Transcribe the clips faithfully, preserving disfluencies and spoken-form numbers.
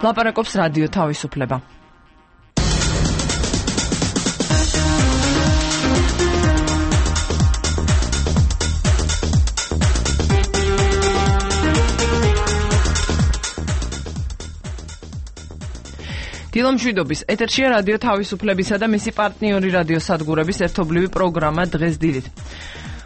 ლაპარაკობს რადიო თავისუფლება. დილომშვიდობის ეთერშია რადიო თავისუფლებისა და მისი პარტნიორი რადიო სადგურების ერთობლივი პროგრამა დღეს დილით.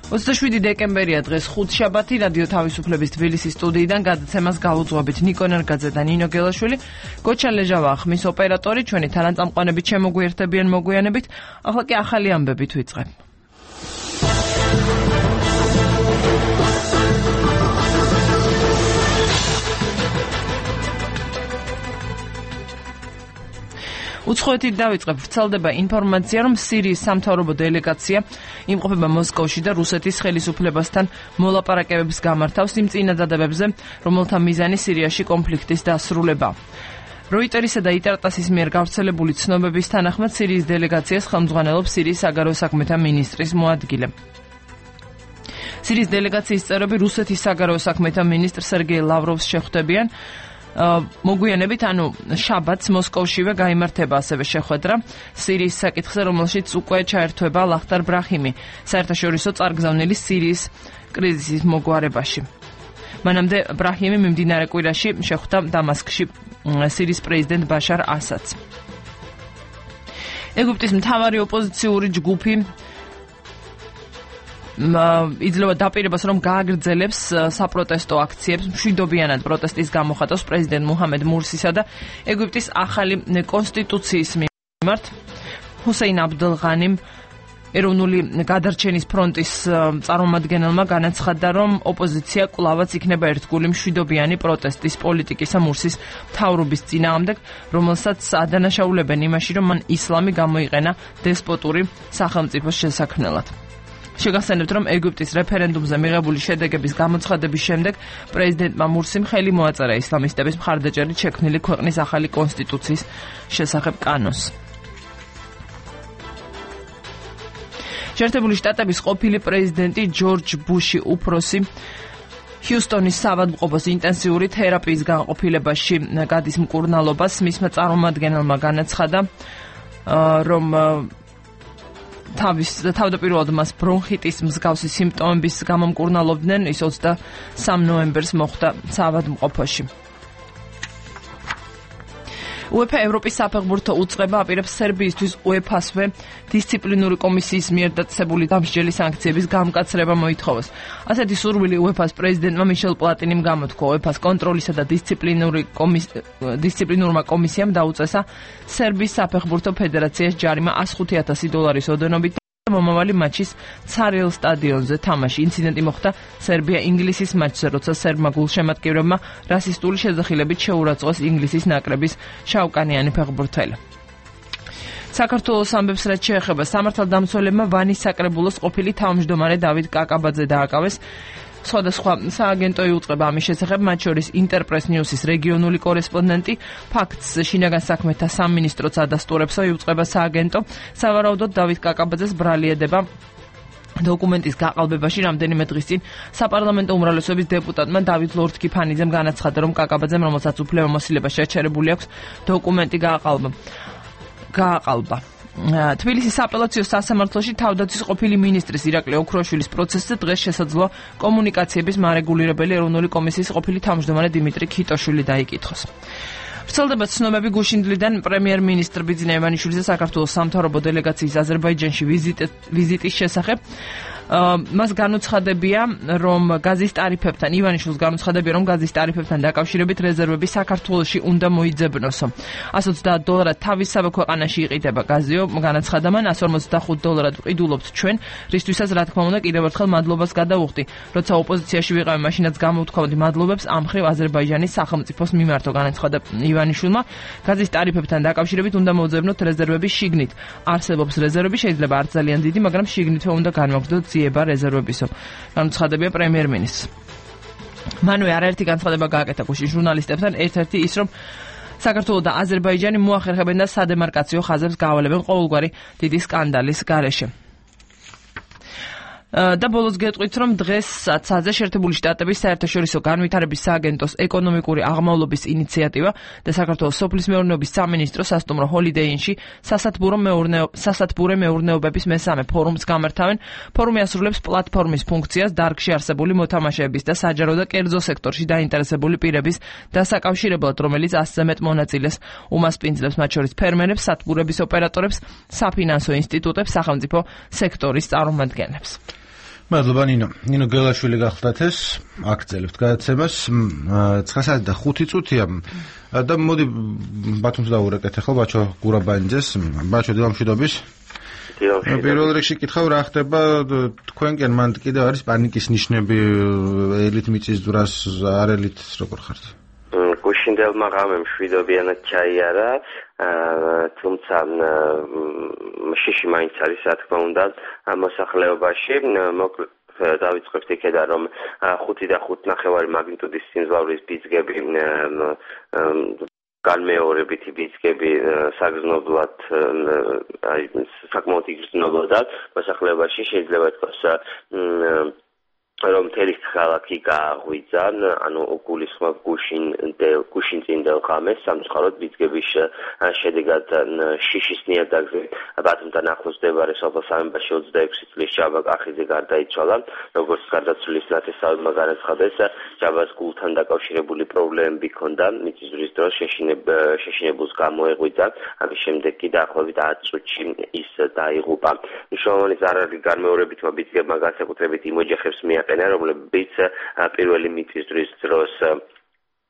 ოცდაშვიდი დეკემბერია დღეს ხუთშაბათი რადიო თავისუფლების თბილისის სტუდიიდან გადაცემას გაუძღვებით ნიკო ნერგაძე და ნინო გელაშვილი. გოჩა ლეჟავა ხმის ოპერატორი, ჩვენი თანაწამყვანებით შემოგვიერთებიან მოგვიანებით. ახლა კი ახალი ამბებით ვიწყებ. უცხოეთით დავიწყებ. ვრცელდება ინფორმაცია, რომ სირიის სამთავრობო დელეგაცია იმყოფება მოსკოვში და რუსეთის ხელისუფლებასთან მოლაპარაკებებს გამართავს იმ წინადადებებზე, რომელთა მიზანი სირიაში კონფლიქტის დასრულება. როიტერისა და იტარტასის მიერ გავრცელებული ცნობების თანახმად სირიის დელეგაციას ხელმძღვანელობს სირიის საგარეო საქმეთა მინისტრის მოადგილე. სირიის დელეგაციის წევრები რუსეთის საგარეო საქმეთა მინისტრ სერგეი ლავროვს შეხვდებიან. მოგვიანებით, ანუ შაბათს მოსკოვშივე გაიმართება ასევე შეხვედრა სირიის საკითხზე, რომელშიც უკვე ჩაერთვება ლახტარ ბრაჰიმი, საერთაშორისო წარგზავნილი სირიის კრიზისის მოგვარებაში. მანამდე ბრაჰიმი მიმდინარე კვირაში შეხვდა დამასკში სირიის პრეზიდენტ ბაშარ ასადს. ეგვიპტის მთავარი ოპოზიციური ჯგუფი იძლევა დაპირებას, რომ გააგრძელებს საპროტესტო აქციებს მშვიდობიანად პროტესტის გამოხატავს პრეზიდენტ მუჰამედ მურსისა და ეგვიპტის ახალი კონსტიტუციის მიმართ. ჰუსეინ აბდელღანიმ ეროვნული გადარჩენის ფრონტის წარმომადგენელმა განაცხადა, რომ ოპოზიცია კვლავაც იქნება ერთგული მშვიდობიანი პროტესტის პოლიტიკისა მურსის მთავრობის წინააღმდეგ, რომელსაც ადანაშაულებენ იმაში, რომ მან ისლამი გამოიყენა დესპოტური სახელმწიფოს შესაქმნელად. შეგახსენებთ, რომ ეგვიპტის რეფერენდუმზე მიღებული შედეგების გამოცხადების შემდეგ პრეზიდენტმა მურსიმ ხელი მოაწერა ისლამისტების მხარდაჭერით შექმნილი ქვეყნის ახალი კონსტიტუციის შესახებ კანონს. შეერთებული შტატების ყოფილი პრეზიდენტი ჯორჯ ბუში უფროსი ჰიუსტონის საავადმყოფოს ინტენსიური თერაპიის განყოფილებაში გადის მკურნალობას. მისმა წარმომადგენელმა განაცხადა, რომ თავის თავდაპირველად მას ბრონხიტის მსგავსი სიმპტომების გამო მკურნალობდნენ. ის ოცდასამ ნოემბერს მოხვდა საავადმყოფოში. უეფა ევროპის საფეხბურთო უწყება აპირებს სერბიისთვის უეფასვე დისციპლინური კომისიის მიერ დაწესებული დამსჯელი სანქციების გამკაცრება მოითხოვოს. ასეთი სურვილი უეფას პრეზიდენტმა მიშელ პლატინიმ გამოთქვა. უეფას კონტროლისა და დისციპლინური კომის დისციპლინურმა კომისიამ დაუწესა სერბიის საფეხბურთო ფედერაციას ჯარიმა ას ხუთი ათასი დოლარის ოდენობით მომავალი მატჩის ცარიელ სტადიონზე თამაში. ინციდენტი მოხდა სერბია-ინგლისის მატჩზე, როცა სერბმა გულშემატკივრებმა რასისტული შეძახილებით შეურაცხყვეს ინგლისის ნაკრების შავკანიანი ფეხბურთელი. საქართველოს ამბებს რაც შეეხება, სამართალდამცველებმა ვანის საკრებულოს ყოფილი თავმჯდომარე დავით კაკაბაძე დააკავეს. სხვადასხვა სააგენტო იუწყება ამის შესახებ, მათ შორის ინტერპრეს ნიუსის რეგიონული კორესპონდენტი, ფაქტს შინაგან საქმეთა სამინისტროც ადასტურებსო იუწყება სააგენტო. სავარაუდოდ დავით კაკაბაძეს ბრალი ედება დოკუმენტის გაყალბებაში. რამდენიმე დღის წინ საპარლამენტო უმრავლესობის დეპუტატმა დავით ლორთქიფანიძემ განაცხადა, რომ კაკაბაძემ, რომელსაც უფლებამოსილება შეჩერებული აქვს, დოკუმენტი გააყალბა. გააყალბა. თბილისის სააპელაციო სასამართლოში თავდაცვის ყოფილი მინისტრის ირაკლი ოქროაშვილის პროცესზე დღეს შესაძლოა კომუნიკაციების მარეგულირებელი ეროვნული კომისიის ყოფილი თავმჯდომარე დიმიტრი ქიტოშვილი დაიკითხოს. ვრცელდება ცნობები გუშინდლიდან პრემიერ-მინისტრ ბიძინა ივანიშვილის და საქართველოს სამთავრობო დელეგაციის აზერბაიჯანში ვიზიტის შესახებ. მას განუცხადებია, რომ გაზის ტარიფებთან ივანიშვილს განუცხადებია, რომ გაზის ტარიფებთან დაკავშირებით რეზერვები საქართველოში უნდა მოიძებნოსო. ას ოცდაათ დოლარად თავისსავე ქვეყანაში იყიდება გაზიო, განაცხადა მან, ას ორმოცდახუთ დოლარად ვყიდულობთ ჩვენ, რისთვისაც რა თქმა უნდა კიდევ ერთხელ მადლობას გადავუხდი. როცა ოპოზიციაში ვიყავი, მაშინაც გამოვთქვამდი მადლობებს ამ მხრივ აზერბაიჯანის სახელმწიფოს მიმართო, განაცხადა ივანიშვილმა. გაზის ტარიფებთან დაკავშირებით უნდა მოძებნოთ რეზერვები შიგნით. არსებობს რეზერვები, შეიძლება არ ძალიან დიდი, მაგრამ შიგნითვე უნდა განვაგრძელოთ ძიება რეზერვებისო. განუცხადებია პრემიერ-მინისტრს. მანვე არაერთი განცხადება გააკეთა გუშინ ჟურნალისტებთან, ერთ-ერთი ის, რომ საქართველო და აზერბაიჯანი მოახერხებენ და სადემარკაციო ხაზებს გავალებენ ყოველგვარი დიდი სკანდალის გარეშე. და ბოლოს გეტყვით, რომ დღესაც შეერთებული შტატების საერთაშორისო განვითარების სააგენტოს ეკონომიკური აღმავლობის ინიციატივა და საქართველოს სოფლის მეურნეობის სამინისტრო სასტუმრო Holiday Inn-ში სასათბურე მეურნეობების მესამე ფორუმს გამართავენ. ფორუმი ასრულებს პლატფორმის ფუნქციას დარგში არსებული მოთამაშეების და საჯარო და კერძო სექტორში დაინტერესებული პირების დასაკავშირებლად, რომელიც ასზე მეტ მონაწილეს უმასპინძლებს, მათ შორის ფერმერებს, სათბურების ოპერატორებს, საფინანსო ინსტიტუტებს, სახელმწიფო სექტორის წარმომადგენლებს. მადლობა ნინო. ნინო გელაშვილი გახლდათ ეს აქცელებთ გადაცემას ცხრა საათი და ხუთი წუთია და მოდი ბათუმს დავურეკეთ ახლა ბაჩო გურაბანიძეს. ბაჩო დილამშვიდობის. პირველ რიგში კითხავ რა ხდება თქვენკენ მანდ კიდევ არის პანიკის ნიშნები ელით მიწის ძვრას არ ელით როგორ ხართ? გუშინდელმა ღამემ შვიდობიანად ჩაიარა, თუმცა შიში მაინც არის რა თქმა უნდა მოსახლეობაში. დავიწყებთ იქედან რომ ხუთი და ხუთ ნახევარი მაგნიტუდის სიმძლავრის ბიძგები განმეორებითი ბიძგები საგრძნობლად საკმაოდ იგრძნობოდა მოსახლეობაში. შეიძლება ითქვას რომ მთელი ქალაქი გააღვიძა, ანუ გულისხმობ გუშინწინდელ ღამეს სამწუხაროდ ბიძგების შედეგად შიშის ნიადაგზე ბათუმთან ახლოს მდებარე სოფელ სამებაში ოცდაექვსი წლის ჯაბა კახიძე გარდაიცვალა. როგორც გარდაცვლილის ნათესავებმა განაცხადეს, ჯაბას გულთან დაკავშირებული პრობლემები ჰქონდა, მიწისძვრის დროს შეშინებულს გამოეღვიძა, ამის შემდეგ კი დაახლოებით ათ წუთში ის დაიღუპა. მნიშვნელოვანი ზარალი განმეორებითმა ბიძგებმა განსაკუთრებით იმ ოჯახებს მიაყენა, რომლებიც პირველი მიწისძვრის დროს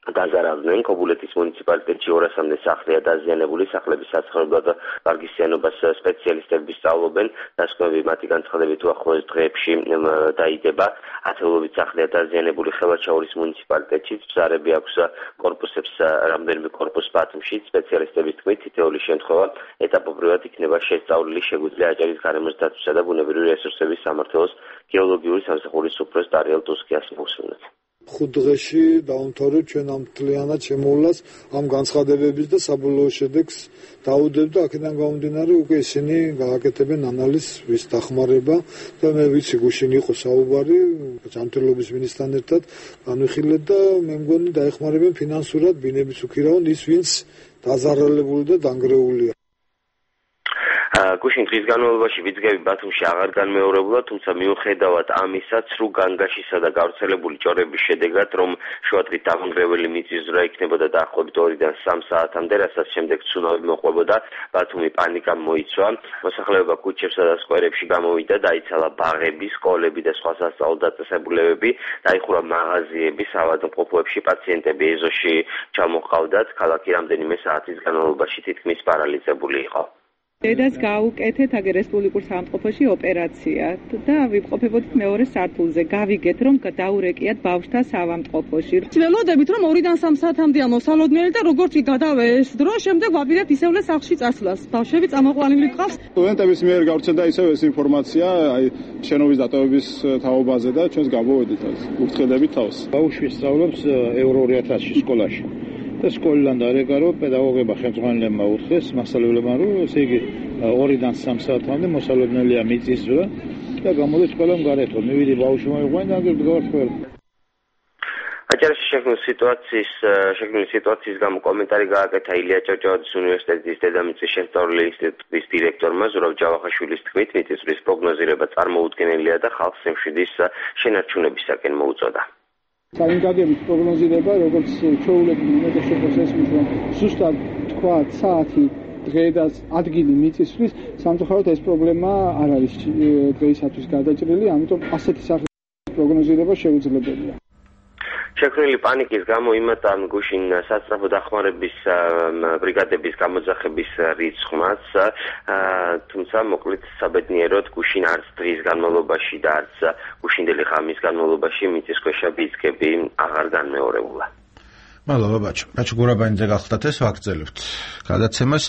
დაზარავდნენ. ქობულეთის მუნიციპალიტეტში ორასამდე სახლია დაზიანებული, სახლების საცხოვრებლად და ვარგისიანობას სპეციალისტები სწავლობენ. დასკვნები მათი განცხადებით უახლოეს დღეებში დაიდება. ათეულობით სახლია დაზიანებული ხელვაჩაურის მუნიციპალიტეტში, ბზარები აქვს კორპუსებს რამდენიმე კორპუსს ბათუმში. სპეციალისტების თქმით, თითოეული შემთხვევა ეტაპობრივად იქნება შესწავლილი, შეგვიძლია აჭარის გარემოს დაცვისა და ბუნებრივი რესურსების სამმართველოს გეოლოგიური სამსახურის უფროს დარიელ ტუსკიას მოусმინოთ. ხუთ დღეში დავამთავრებ ჩვენ ამ მთლიანად შემოვლას ამ განცხადებების და საბოლოო შედეგს დაუდებ და აქედან გამომდინარე უკვე ისინი გააკეთებენ ანალიზს ვის დახმარება და მე ვიცი გუშინ იყო საუბარი ჯანმრთელობის მინისტრთან ერთად განვიხილეთ და მე მგონი დაეხმარებენ ფინანსურად ბინების უქირავენ ის ვინც დაზარალებული და დანგრეულია. გუშინ დღის განმავლობაში ბიძგები ბათუმში აღარ განმეორებულა, თუმცა მიუხედავად ამისა, ცრუ განგაშისა და გავრცელებული ჭორების შედეგად, რომ შუადღით დამანგრეველი მიწისძვრა იქნებოდა დაახლოებით ორიდან სამ საათამდე, რასაც შემდეგ ცუნამი მოყვებოდა, ბათუმი პანიკამ მოიცვა. მოსახლეობა ქუჩებსა და სკვერებში გამოვიდა, დაიცალა ბაღები, სკოლები და სხვა სასწავლო დაწესებულებები, დაიხურა მაღაზიები, საავადმყოფოებში პაციენტები ეზოში ჩამოჰყავდათ. ქალაქი რამდენიმე საათის განმავლობაში თითქმის პარალიზებული იყო. დედას გავუკეთეთ აგერ რესპუბლიკურ სამწყობოში ოპერაცია და ვიმყოფებოდით მეორე სართულზე. გავიგეთ რომ დაურეკიათ ბავშვთა საავადმყოფოში. ველოდებით რომ ორიდან სამ საათამდეა მოსალოდნელი და როგორც კი გადავეს დრო, შემდეგ ვაპირებთ ისევლე სახლში წასვლას. ბავშვები წამოყვანილი გყავს. სტუდენტების მიერ გავრცელდა ისევ ეს ინფორმაცია, აი შენობის დატოვების თაობაზე და ჩვენს გამოვედით ეს. ურთხედებით თავს. ბავშვი სწავლობს ევრო ორი ათასში სკოლაში. და სკოლიდან დარეკა რომ პედაგოგებმა ხელმძღვანელებმა უთხრეს მასწავლებლებმა რომ ესე იგი ორიდან სამ საათამდე მოსალოდნელია მიწისძვრა და გამოდის ყველამ გარეთო მივიდი ბავშვი მოიყვანა და გავარცხევ. აჭარაში შექმნილი სიტუაციის შექმნილი სიტუაციის გამო კომენტარი გააკეთა ილია ჭავჭავაძის უნივერსიტეტის დედამიწის შესწავლილი ინსტიტუტის დირექტორმა ზურაბ ჯავახაშვილის თქმით, მიწისძვრის პროგნოზირება წარმოუდგენელია და ხალხს ემშვიდის შენარჩუნებისაკენ მოუწოდა. საინგაგების პროგნოზირება, როგორც ჩვეულებრივ მეტეხშეფოს ესმის, რომ ზუსტად თქვა საათი დღე და ადგილი მიწისძვრის, სამწუხაროდ ეს პრობლემა არ არის დღეისათვის გადაჭრილი, ამიტომ ასეთი სახის პროგნოზირება შეუძლებელია. შექმნილი პანიკის გამო იმატან გუშინ სასწრაფო დახმარების ბრიგადების გამოძახების რიცხვმაც, თუმცა მოკლედ საბედნიეროდ გუშინ არც დღის განმავლობაში და არც გუშინდელი ღამის განმავლობაში მიწისქვეშა ბიძგები აღარ განმეორებულა. მადლობა ბაჩო. ბაჩო გურაბანიძე გახლდათ ეს ვაგრძელებთ გადაცემას.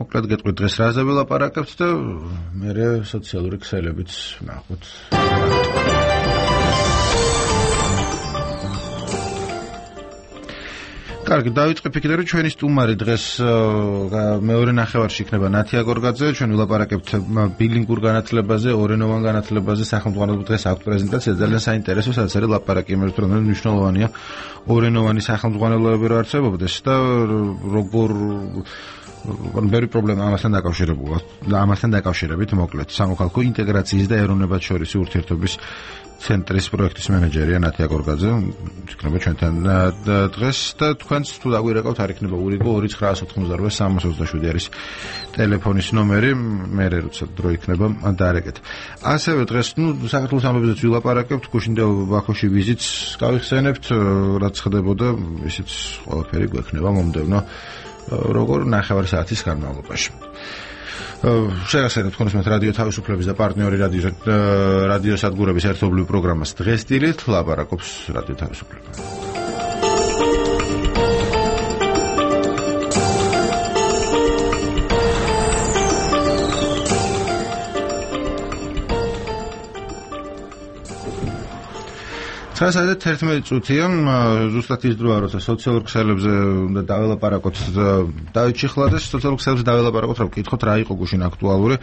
მოკლედ გეტყვით დღეს რაზე ვილაპარაკებთ და მერე სოციალური ქსელებიც ნახოთ. კარგი, დავიწყებ იქიდან, რომ ჩვენი სტუმარი დღეს მეორე ნახევარში იქნება ნათია გორგაძე, ჩვენ ვილაპარაკებთ ბილინგურ განათლებაზე, ორენოვან განათლებაზე, სახელმწიფო დღეს აქვს პრეზენტაცია, ძალიან საინტერესო, სადაც არის ლაპარაკი იმაზე, რომ მნიშვნელოვანია ორენოვანი სახელმწიფოებრიობა რო არსებობდეს და როგორ ბევრი პრობლემა ამასთან დაკავშირებულა და ამასთან დაკავშირებით მოკლედ სამოქალაქო ინტეგრაციის და ეროვნებათშორისი ურთიერთობის ცენტრის პროექტის მენეჯერია ნათია გორგაძე, იქნება ჩვენთან დღეს და თქვენც თუ დაგვირეკავთ არ იქნება ურიგო ორი ცხრა ოთხმოცდაოთხი სამას ოცდაშვიდი არის ტელეფონის ნომერი, მე როცა დრო იქნება დაარეკეთ. ასევე დღეს ნუ საქართველოს ამბებზეც ვილაპარაკებთ, გუშინდა ბაქოში ვიზიტს გავიხსენებთ, რაც ხდებოდა, ისიც ყველაფერი გვექნება მომდევნო როგორ ნახევარი საათის განმავლობაში. შეგახსენებთ თქვენს რადიო თავისუფლების და პარტნიორი რადიო რადიო სადგურების ერთობლივ პროგრამას დღეს დილით ლაპარაკობს რადიო თავისუფლება. ცხრა თერთმეტი წუთია, ზუსტად ის დროა, როცა სოციალურ ქსელებზე უნდა დაველაპარაკოთ დავით ჩიხლაძეს, სოციალურ ქსელებზე დაველაპარაკოთ, რა ვკითხოთ, რა იყო გუშინ აქტუალური.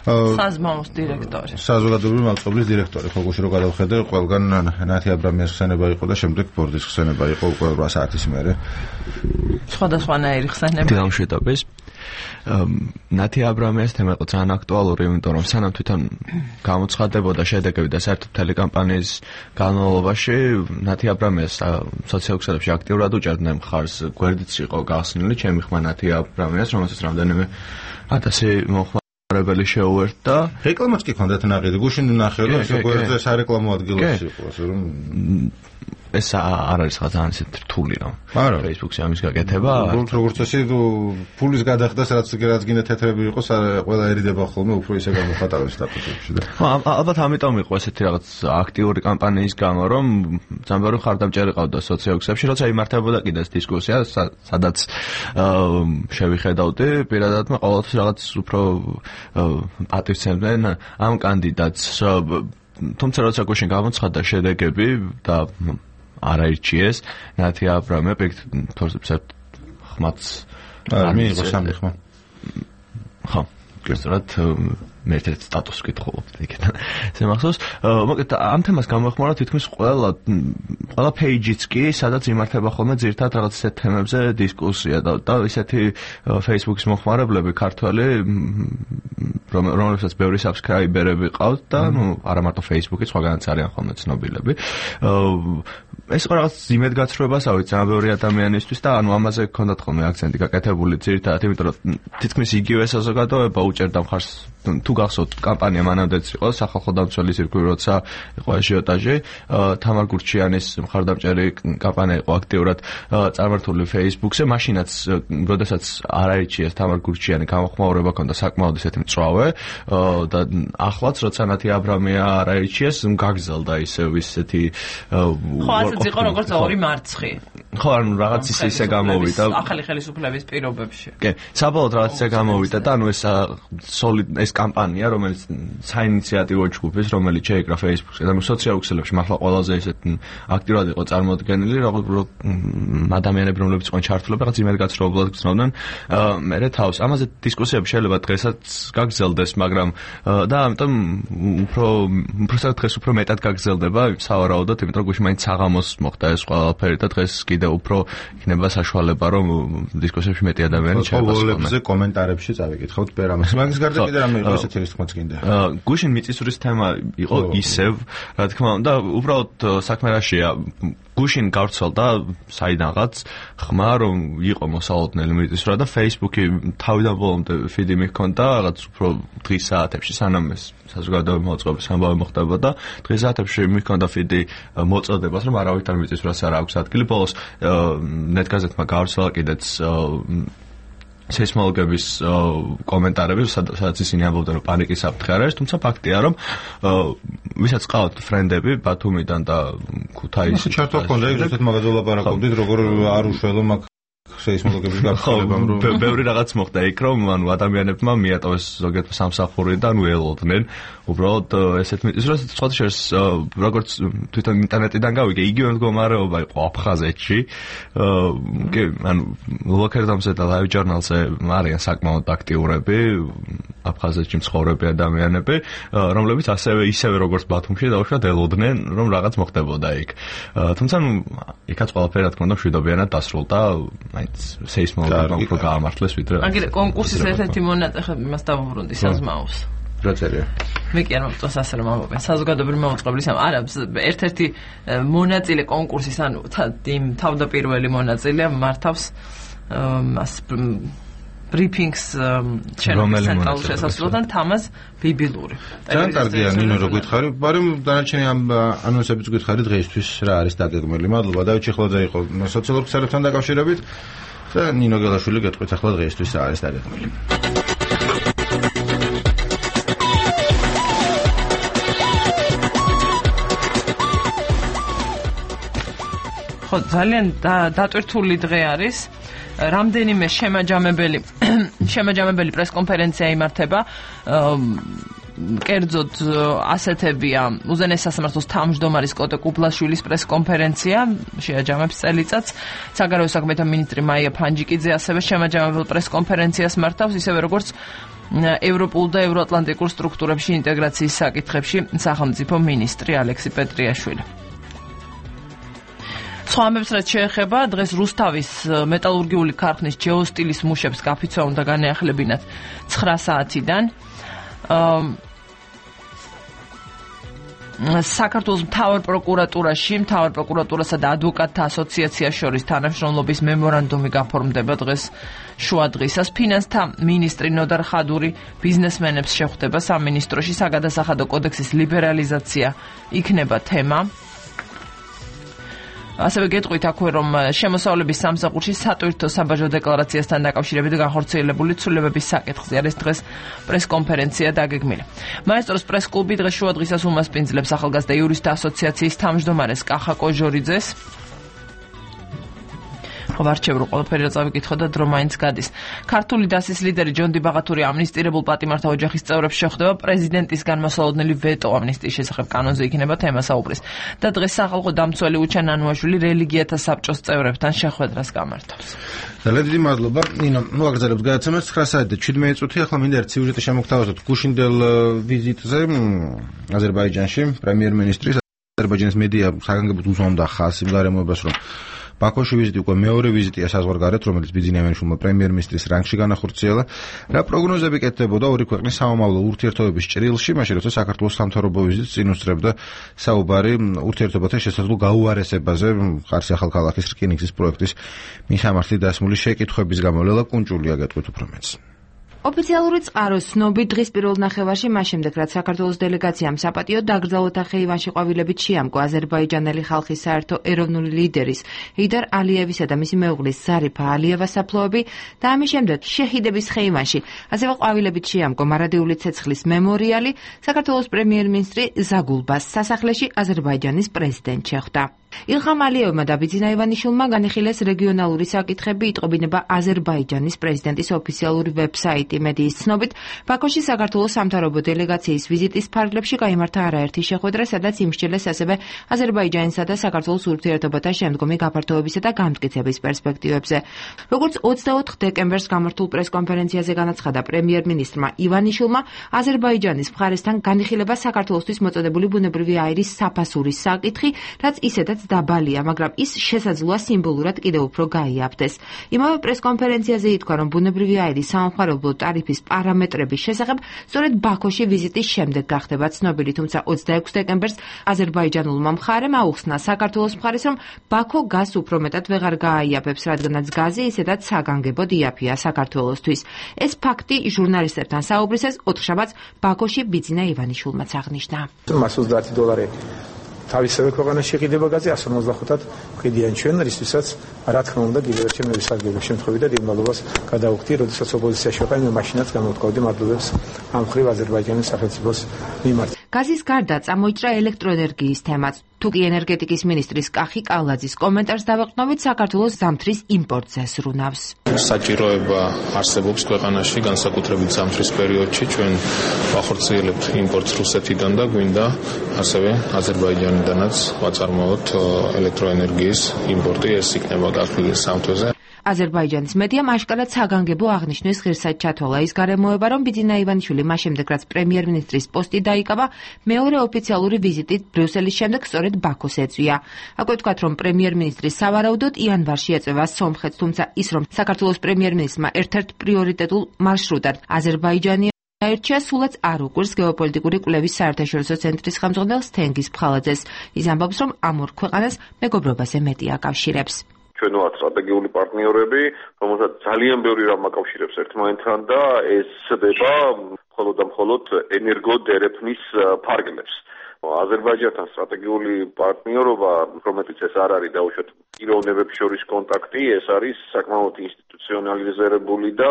საზმაოს დირექტორი. საზოგადოებრივი მალწობლის დირექტორი, ხო გუშინ რო გადავხედე, ყველგან ნათი აბრამიას ხსენება იყო და შემდეგ ბორდის ხსენება იყო უკვე რვა საათის მერე. სხვადასხვანაირი ხსენება. დილამ შეტაბეს. ნათი აბრამიას თემა იყო ძალიან აქტუალური, იმიტომ რომ სანამ თვითონ გამოცხადდებოდა შედეგები და საერთოდ ტელეკამპანიის განმავლობაში ნათი აბრამიას სოციალურ ქსელებში აქტიურად უჭერდნენ მხარს, გვერდიც იყო გახსნილი ჩემი ხმა ნათი აბრამიას, რომელსაც რამდენიმე ათასი მომხმარებელი შეუერთდა. რეკლამაც კი ჰქონდათ ნაყიდი, გუშინ ნახე რომ ეს გვერდზე სარეკლამო ადგილებში იყო, ასე რომ ეს არ არის რაღაც ძალიან ისეთი რთული რომ Facebook-ში ამის გაკეთება. როგორც როგორც წესი ფულის გადახდას რაც რაც გინდა თეთრები იყოს, ყველა ერიდება ხოლმე უფრო ისე გამოხატავს სტატუსებში და. ხო, ალბათ ამიტომ იყო ესეთი რაღაც აქტიური კამპანიის გამო, რომ ძამბარი ხარდამჭერი ყავდა სოციალურ ქსელებში, როცა იმართებოდა კიდე ეს დისკუსია, სადაც შევიხედავდი, პირადად მე ყოველთვის რაღაც უფრო პატივცემდნენ ამ კანდიდატს. თუმცა როცა გუშინ გამოცხადდა შედეგები და არაირჩიეს ნათი აბრამია ფორსებს ხმაც არ მიიღო სამი ხმა. ხო, გასწრათ მე ერთ სტატუსს ვკითხულობ იქიდან. ესე მახსოვს, მოკლედ ამ თემას გამოეხმარა თითქმის ყველა ყველა პეიჯიც კი, სადაც იმართება ხოლმე ძირთად რაღაც ისეთ თემებზე დისკუსია და და ისეთი Facebook-ის მომხმარებლები ქართველი რომელსაც ბევრი subscriber-ები ყავთ და ნუ არა მარტო Facebook-ი, სხვაგანაც არიან ხოლმე ცნობილები. ეს იყო რაღაც იმედგაცრუებასავით ძალიან ბევრი ადამიანისთვის და ანუ ამაზე გქონდათ ხოლმე აქცენტი გაკეთებული ძირთადად, იმიტომ რომ თითქმის იგივე საზოგადოება უჭერდა მხარს თუ გახსოვთ კამპანია მანამდეც იყო სახალხო დამცველი ცირკული, როცა იყო აჟიოტაჟი, თამარ გურჩიანის მხარდამჭერი კამპანია იყო აქტიურად წარმართული Facebook-ზე, მაშინაც როდესაც არაირჩიეს თამარ გურჩიანი გამოხმაურება ჰქონდა საკმაოდ ისეთი მწვავე და ახლაც როცა ნათი აბრამია არაირჩიეს, გაგზელდა ისევ ისეთი ხო, ასეც იყო როგორც ორი მარცხი. ხო, ანუ რაღაც ისე ისე გამოვიდა ახალი ხელისუფლების პირობებში. კი, საბოლოოდ რაღაც ისე გამოვიდა და ანუ ეს solid ეს კამპანია, რომელიც საინიციატივო ჯგუფის, რომელიც შეიკრა Facebook-ზე და სოციალურ ქსელებში მართლა ყველაზე ისეთ აქტიურად იყო წარმოდგენილი, როგორც ადამიანები, რომლებიც იყვნენ ჩართულები, რაღაც იმედგაცრუებულად გრძნობდნენ მერე თავს. ამაზე დისკუსიები შეიძლება დღესაც გაგრძელდეს, მაგრამ და ამიტომ უფრო უბრალოდ დღეს უფრო მეტად გაგრძელდება სავარაუდოდ, იმიტომ რომ გუშინ მაინც საღამოს მოხდა ეს ყველაფერი და დღეს კიდევ უფრო იქნება საშუალება, რომ დისკუსიებში მეტი ადამიანი ჩაება. ყოველებზე კომენტარებში წავიკითხავთ პერამას. მაგის გარდა კიდე რამე იყო ესეთი რის თქმაც გინდა. გუშინ მიწისძვრის თემა იყო ისევ, რა თქმა უნდა, უბრალოდ საქმე რაშია, გუშინ გავრცელდა საიდანღაც ხმა, რომ იყო მოსალოდნელი მიწისძვრა და Facebook-ი თავიდან ბოლომდე ფიდი მიჰქონდა, რაღაც უფრო დღის საათებში, სანამ ეს საზოგადოებრივი მოწყობის ამბავი მოხდებოდა, დღის საათებში მიჰქონდა ფიდი მოწოდებას, რომ არავითარ მიწისძვრას არ აქვს ადგილი. ბოლოს ნეტგაზეთმა გავრცელა კიდეც სეისმოლოგების კომენტარები, სადაც ისინი ამბობდნენ, რომ პანიკის საფრთხე არ არის, თუმცა ფაქტია, რომ ვისაც ყავთ ფრენდები ბათუმიდან და ქუთაისიდან. ჩართო ჰქონდა, ზუსტად მაგაზე ვლაპარაკობდით, როგორ არ უშველო მაგ სეისმოლოგების გაფრთხილებამ რომ ბევრი რაღაც მოხდა იქ რომ ანუ ადამიანებმა მიატოვეს ზოგიერთ სამსახური და ნუ ელოდნენ უბრალოდ ესეთ მიწის რომ სხვა შეს როგორც თვითონ ინტერნეტიდან გავიგე იგივე მდგომარეობა იყო აფხაზეთში კი ანუ ლოკერდამზე და ლაივ ჟურნალზე არიან საკმაოდ აქტიურები აფხაზეთში მცხოვრები ადამიანები რომლებიც ასევე ისევე როგორც ბათუმში დაუშვათ ელოდნენ რომ რაღაც მოხდებოდა იქ თუმცა იქაც ყველაფერი რა თქმა უნდა მშვიდობიანად დასრულდა მაინც სეისმოლოგებმა უფრო გაამართლეს ვიდრე აგერ კონკურსის ერთ-ერთი მონაწილე იმას დავუბრუნდი საზმაოს რა წერია მე კი არ მომწონს ასე რომ ამბობენ საზოგადოებრივი მაუწყებლის ამ არა ერთ-ერთი მონაწილე კონკურსის ანუ იმ თავდაპირველი მონაწილე მართავს მას ბრიფინგს ჩემს ცენტრალურ შესასვლელთან თამაზ ბიბილური. ძალიან კარგია ნინო რო გითხარი, მაგრამ დანარჩენი ამ ანონსებიც გითხარი დღეისთვის რა არის დაგეგმილი. მადლობა დავით ჩიხლაძე იყო სოციალურ ქსელებთან დაკავშირებით და ნინო გელაშვილი გეტყვით ახლა დღეისთვის რა არის დაგეგმილი. ხო ძალიან დატვირთული დღე არის. რამდენიმე შემაჯამებელი შემაჯამებელი პრესკონფერენცია იმართება კერძოდ ასეთებია უზენაეს სასამართლოს თავმჯდომარის კოტე კუბლაშვილის პრესკონფერენცია შეაჯამებს წელიწადს საგარეო საქმეთა მინისტრი მაია ფანჯიკიძე ასევე შემაჯამებელ პრესკონფერენციას მართავს ისევე როგორც ევროპულ და ევროატლანტიკურ სტრუქტურებში ინტეგრაციის საკითხებში სახელმწიფო მინისტრი ალექსი პეტრიაშვილი სხვა ამბებს რაც შეეხება დღეს რუსთავის მეტალურგიული ქარხნის ჯეოსტილის მუშებს გაფიცვა უნდა განეახლებინათ ცხრა საათიდან საქართველოს მთავარ პროკურატურაში მთავარ პროკურატურასა და ადვოკატთა ასოციაციას შორის თანამშრომლობის მემორანდუმი გაფორმდება დღეს შუა დღისას ფინანსთა მინისტრი ნოდარ ხადური ბიზნესმენებს შეხვდება სამინისტროში საგადასახადო კოდექსის ლიბერალიზაცია იქნება თემა ასევე გეტყვით აქვე რომ შემოსავლების სამსახურში სატვირთო საბაჟო დეკლარაციასთან დაკავშირებით განხორციელებული ცვლილებების საკითხზე არის დღეს პრესკონფერენცია დაგეგმილი. მაესტროს პრესკლუბი დღეს შუა დღისას უმასპინძლებს ახალგაზრდა იურისტთა ასოციაციის თავმჯდომარეს კახა კოჟორიძეს. ვარჩევრო ყველაფერი რა წავიკითხო და დრო მაინც გადის. ქართული დასის ლიდერი ჯონდი ბაღათური ამნისტირებულ პატიმართა ოჯახის წევრებს შეხვდება პრეზიდენტის განმასალოდნელი ვეტო ამნისტიის შესახებ კანონზე იქნება თემა საუბრის. და დღეს სახალხო დამცველი უჩან ანუაშვილი რელიგიათა საბჭოს წევრებთან შეხვედრას გამართავს. ძალიან დიდი მადლობა. ნინო, ნუ აგრძელებთ გადაცემას ცხრა საათი და შვიდმეტი წუთი. ახლა მინდა ერთ სიუჟეტი შემოგთავაზოთ გუშინდელ ვიზიტზე აზერბაიჯანში პრემიერ-მინისტრის აზერბაიჯანის მედია საგანგებოდ უზომდა ხაზს იმ გარემოებას რომ ბაქოში ვიზიტი უკვე მეორე ვიზიტია საზღვარგარეთ, რომელიც ბიძინიავაშვილმა პრემიერ-მინისტრის რანგში განახორციელა. რა პროგნოზები კეთდებოდა ორი ქვეყნის სამომავლო ურთიერთობების ჭრილში, მაშინ როცა საქართველოს სამთავრობო ვიზიტს წინ უსწრებდა საუბარი ურთიერთობათა შესაძლო გაუარესებაზე, ხარსი ახალქალაქის რკინიგზის პროექტის მისამართი დასმული შეკითხვების გამო. ლელა კუნჭულია გეტყვით უფრო მეც. ოფიციალური წყარო სნობი დღის პირველ ნახევარში მას შემდეგ რაც საქართველოს დელეგაციამ საპატიო დაკრძალვათა ხეივანში ყვავილებით შეამკო აზერბაიჯანელი ხალხის საერთო ეროვნული ლიდერის ჰეიდარ ალიევისა და მისი მეუღლის ზარიფა ალიევას საფლავები და ამის შემდეგ შეჰიდების ხეივანში ასევე ყვავილებით შეამკო მარადიული ცეცხლის მემორიალი საქართველოს პრემიერ-მინისტრი ზაგულბას სასახლეში აზერბაიჯანის პრეზიდენტ შეხვდა. ილხამ ალიევმა და ბიძინა ივანიშვილმა განიხილეს რეგიონალური საკითხები იტყობინება აზერბაიჯანის პრეზიდენტის ოფიციალური ვებსაიტი მედიის ცნობით ბაქოში საქართველოს სამთავრობო დელეგაციის ვიზიტის ფარგლებში გაიმართა არაერთი შეხვედრა სადაც იმსჯელეს ასევე აზერბაიჯანისა და საქართველოს ურთიერთობათა შემდგომი გაფართოებისა და გამტკიცების პერსპექტივებზე როგორც ოცდაოთხ დეკემბერს გამართულ პრესკონფერენციაზე განაცხადა პრემიერ-მინისტრმა ივანიშვილმა აზერბაიჯანის მხარესთან განიხილება საქართველოსთვის მოწოდებული ბუნებრივი აირის საფასურის საკითხი რაც ისედაც დაბალია, მაგრამ ის შესაძლოა სიმბოლურად კიდევ უფრო გაიაფდეს. იმავე პრესკონფერენციაზე ითქვა, რომ ბუნებრივი აირის სამხარებლო ტარიფის პარამეტრების შესახებ სწორედ ბაქოში ვიზიტის შემდეგ გახდება ცნობილი, თუმცა ოცდაექვსი დეკემბერს აზერბაიჯანულმა მხარემ აუხსნა საქართველოს მხარეს, რომ ბაქო გაზს უფრო მეტად ვეღარ გააიაფებს, რადგანაც გაზი ისედაც საგანგებოდ იაფია საქართველოსთვის. ეს ფაქტი ჟურნალისტებთან საუბრისას ოთხშაბათს ბაქოში ბიძინა ივანიშვილმაც აღნიშნა. მას ოცდაათი დოლარი თავისივე ქვეყანაში იყიდება გაზი εκατს ორმოცდახუთად ვყიდიან ჩვენ, რისთვისაც რა თქმა უნდა კიდევ ერთი მე ვისარგებლებ შემთხვევით და დიდმადლობას გადავხდი, როდესაც ოპოზიციაში ვიყავი, მე მაშინაც გამოვთქვამდი მადლობებს ამ ხრივ აზერბაიჯანის სახელმწიფოს მიმართ. გაზის გარდა წამოიჭრა ელექტროენერგიის თემაც. თუკი ენერგეტიკის მინისტრის კახი კალაძის კომენტარს დავეყრდნობით, საქართველოს ზამთრის იმპორტზე ზრუნავს. საჭიროება არსებობს ქვეყანაში, განსაკუთრებით ზამთრის პერიოდში. ჩვენ ვახორციელებთ იმპორტს რუსეთიდან და გვინდა ასევე აზერბაიჯანიდანაც ვაწარმოოთ ელექტროენერგიის იმპორტი. ეს იქნება გათვლილი სამ თვეზე. აზერბაიჯანის მედიამ აშკარად საგანგებო აღნიშვნის ღირსად ჩათვალა ის გარემოება, რომ ბიძინა ივანიშვილი მას შემდეგ, რაც პრემიერ-მინისტრის პოსტი დაიკავა, მეორე ოფიციალური ვიზიტით ბრიუსელის შემდეგ სწორედ ბაქოს ეწვია. აქვე ვთქვათ, რომ პრემიერ-მინისტრი სავარაუდოდ იანვარში ეწევა სომხეთს, თუმცა ის, რომ საქართველოს პრემიერ-მინისტრმა ერთ-ერთ პრიორიტეტულ მარშრუტად აზერბაიჯანი აირჩია, სულაც არ უკვირს გეოპოლიტიკური კვლევის საერთაშორისო ცენტრის ხელმძღვანელ თენგიზ ფხალაძეს. ის ამბობს, რომ ამ ორ ქვეყანას მეგობრობაზე მეტი აკავშირებს. ჩვენ ვართ სტრატეგიული პარტნიორები, რომელსაც ძალიან ბევრი რამ აკავშირებს ერთმანეთთან და ეს ხდება მხოლოდ და მხოლოდ ენერგოდერეფნის ფარგლებს. აზერბაიჯანთან სტრატეგიული პარტნიორობა, რომელთაც ეს არ არის დაუშვათ პიროვნებებს შორის კონტაქტი, ეს არის საკმაოდ ინსტიტუციონალიზებული და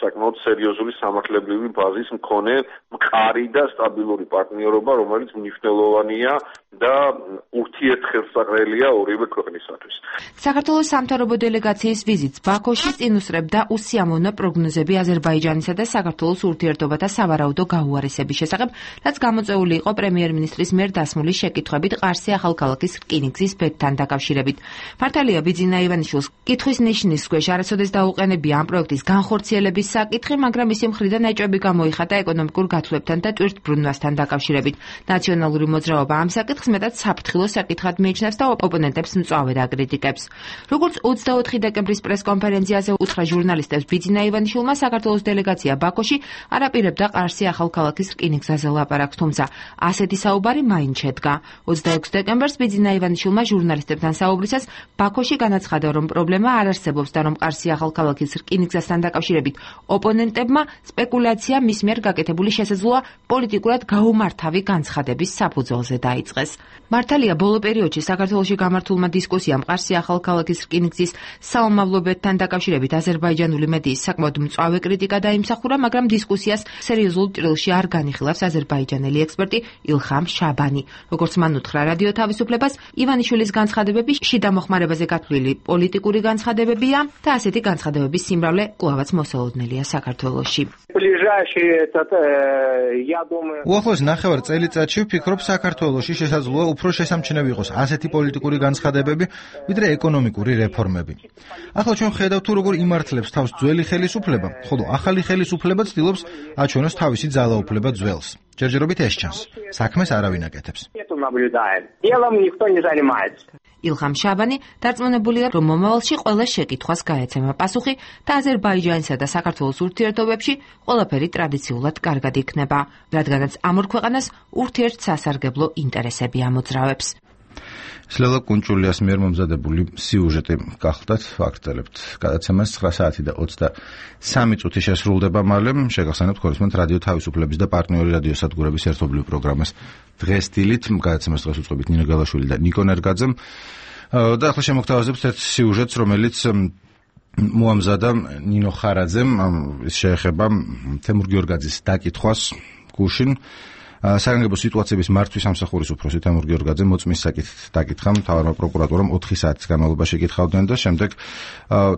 საკმაოდ სერიოზული სამართლებრივი ბაზის მქონე მყარი და სტაბილური პარტნიორობა, რომელიც მნიშვნელოვანია და ურთიერთხელსაყრელია ორივე ქვეყნისათვის. საქართველოს სამთავრობო დელეგაციის ვიზიტს ბაქოში წინ უსწრებდა უსიამოვნო პროგნოზები აზერბაიჯანისა და საქართველოს ურთიერთობათა სავარაუდო გაუარესების შესახებ, რაც გამოწვეული იყო პრემიერ-მინისტრის მიერ დასმული შეკითხვებით ყარსი ახალქალაქის რკინიგზის ბედთან დაკავშირებით. მართალია ბიძინა ივანიშვილს კითხვის ნიშნის ქვეშ არასოდეს დაუყენებია ამ პროექტის განხორციელების საკითხი, მაგრამ მისი მხრიდან ეჭვები გამოიხატა ეკონომიკურ გათვლებთან და ტვირთბრუნვასთან დაკავშირებით. ნაციონალური მოძრაობა ამ საკითხს მეტად საფრთხილო საკითხად მიიჩნევს და ოპონენტებს მწვავედ აკრიტიკებს. როგორც ოცდაოთხი დეკემბრის პრესკონფერენციაზე უთხრა ჟურნალისტებს, ბიძინა ივანიშვილმა საქართველოს დელეგაცია ბაქოში არ აპირებდა ყარსი ახალქალაქის რკინიგზაზე ლაპარაკს, თუმცა ასეთი საუბარი მაინც შედგა. ოცდაექვსი დეკემბერს ბიძინა ივანიშვილმა ჟურნალისტებთან საუბრისას ბაქოში განაცხადა, რომ პრობლემა არ არსებობს და რომ ყარსი ახალქალაქის რკინიგზასთან დაკავშირებით ოპონენტებმა სპეკულაცია მის მიერ გაკეთებული შესაძლოა პოლიტიკურად გაუმართავი განცხადების საფუძველზე დაიწყეს. მართალია, ბოლო პერიოდში საქართველოში გამართულმა დისკუსიამ ყარსი ახალქალაქის რკინიგზის საომავლობებთან დაკავშირებით აზერბაიჯანული მედიის საკმაოდ მწვავე კრიტიკა დაიმსახურა, მაგრამ დისკუსიას სერიოზულ ჭრილში არ განიხილავს აზერბაიჯანელი ექსპერტი ილხამ შაბანი. როგორც მან უთხრა რადიო თავისუფლებას, ივანიშვილის განცხადებები შიდა მოხმარებაზე გათვლილი პოლიტიკური განცხადებებია და ასეთი განცხადებების სიმრავლე კვლავაც მოსალოდნელია საქართველოში. უახლოეს ნახევარ წელიწადში ვფიქრობ, საქართველოში შესაძლოა უფრო შესამჩნევი იყოს ასეთი პოლიტიკური განცხადებები, ვიდრე ეკონომიკური რეფორმები. ახლა ჩვენ ხედავთ თუ როგორ იმართლებს თავს ძველი ხელისუფლება, ხოლო ახალი ხელისუფლება ცდილობს აჩვენოს თავისი ძალაუფლება ძველს. ჯერჯერობით ეს ჩანს. საქმეს არავინ აკეთებს. ილხამ შაბანი დარწმუნებულია, რომ მომავალში ყველა შეკითხვას გაეცემა პასუხი და აზერბაიჯანისა და საქართველოს ურთიერთობებში ყველაფერი ტრადიციულად კარგად იქნება, რადგანაც ამ ორ ქვეყანას ურთიერთსასარგებლო ინტერესები ამოძრავებს. სლელა კუნჭულიას მიერ მომზადებული სიუჟეტი გახლდათ, ვაგრძელებთ გადაცემას ცხრა საათი და ოცდასამი წუთი შესრულდება მალე. შეგახსენებთ ხორისმენთ რადიო თავისუფლების და პარტნიორი რადიო სადგურების ერთობლივ პროგრამას დღეს დილით. გადაცემას დღეს უწყობთ ნინო გალაშვილი და ნიკო ნერგაძე. და ახლა შემოგთავაზებთ ერთ სიუჟეტს, რომელიც მოამზადა ნინო ხარაძემ. ის შეეხება თემურ გიორგაძის დაკითხვას გუშინ. საგანგებო სიტუაციების მართვის სამსახურის უფროსი თემურ გიორგაძე მოწმის საკითხით დაკითხა მთავარმა პროკურატურამ ოთხი საათის განმავლობაში ეკითხავდნენ და შემდეგ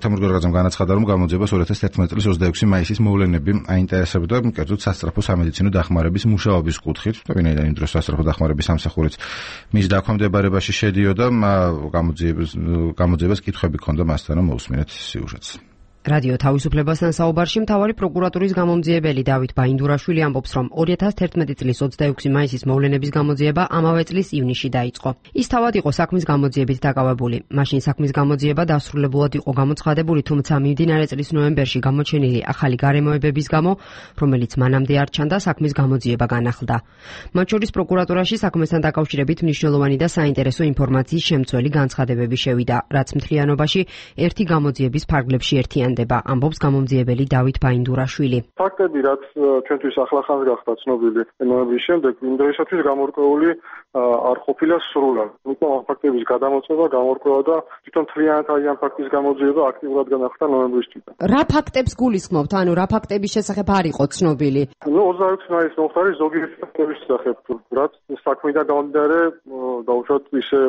თემურ გიორგაძემ განაცხადა, რომ გამოძიებას ორი ათას თერთმეტი წლის ოცდაექვსი მაისის მოვლენები აინტერესებდა, კერძოდ სასწრაფო სამედიცინო დახმარების მუშაობის კუთხით. ვინაიდან იმ დროს სასწრაფო დახმარების სამსახურიც მის დაქვემდებარებაში შედიოდა, გამოძიებას გამოძიებას კითხვები ჰქონდა მასთან, რომ მოусმინეთ სიუჟეტს. რადიო თავისუფლებასთან საუბარში მთავარი პროკურატურის გამომძიებელი დავით ბაინდურაშვილი ამბობს, რომ ორი ათას თერთმეტი წლის ოცდაექვსი მაისის მოვლენების გამოძიება ამავე წლის ივნისში დაიწყო. ის თავად იყო საქმის გამოძიებით დაკავებული. მაშინ საქმის გამოძიება დასრულებულად იყო გამოცხადებული, თუმცა მიმდინარე წლის ნოემბერში გამოჩენილი ახალი გარემოებების გამო, რომელიც მანამდე არ ჩანდა, საქმის გამოძიება განახლდა. მათ შორის პროკურატურაში საქმესთან დაკავშირებით მნიშვნელოვანი და საინტერესო ინფორმაციის შემცველი განცხადებები შევიდა, რაც მთლიანობაში ერთი გამოძიების ფარგლებში ერთიან. აშენდება, ამბობს გამომძიებელი დავით ბაინდურაშვილი. ფაქტები, რაც ჩვენთვის ახლახანს გახდა ცნობილი ნოემბრის შემდეგ, იმ დროისათვის გამორკვეული არ ყოფილა სრულად. იმიტომ ამ ფაქტების გადამოწმება, გამორკვევა და თვითონ მთლიანად აი ამ ფაქტის გამოძიება აქტიურად განახდა ნოემბრის თვიდან. რა ფაქტებს გულისხმობთ? ანუ რა ფაქტების შესახებ არ იყო ცნობილი? ნუ ოცდაექვსი მაისის მომხდარი ზოგიერთი ფაქტების შესახებ, რაც საქმიდან გამომდინარე დაუშვათ ისე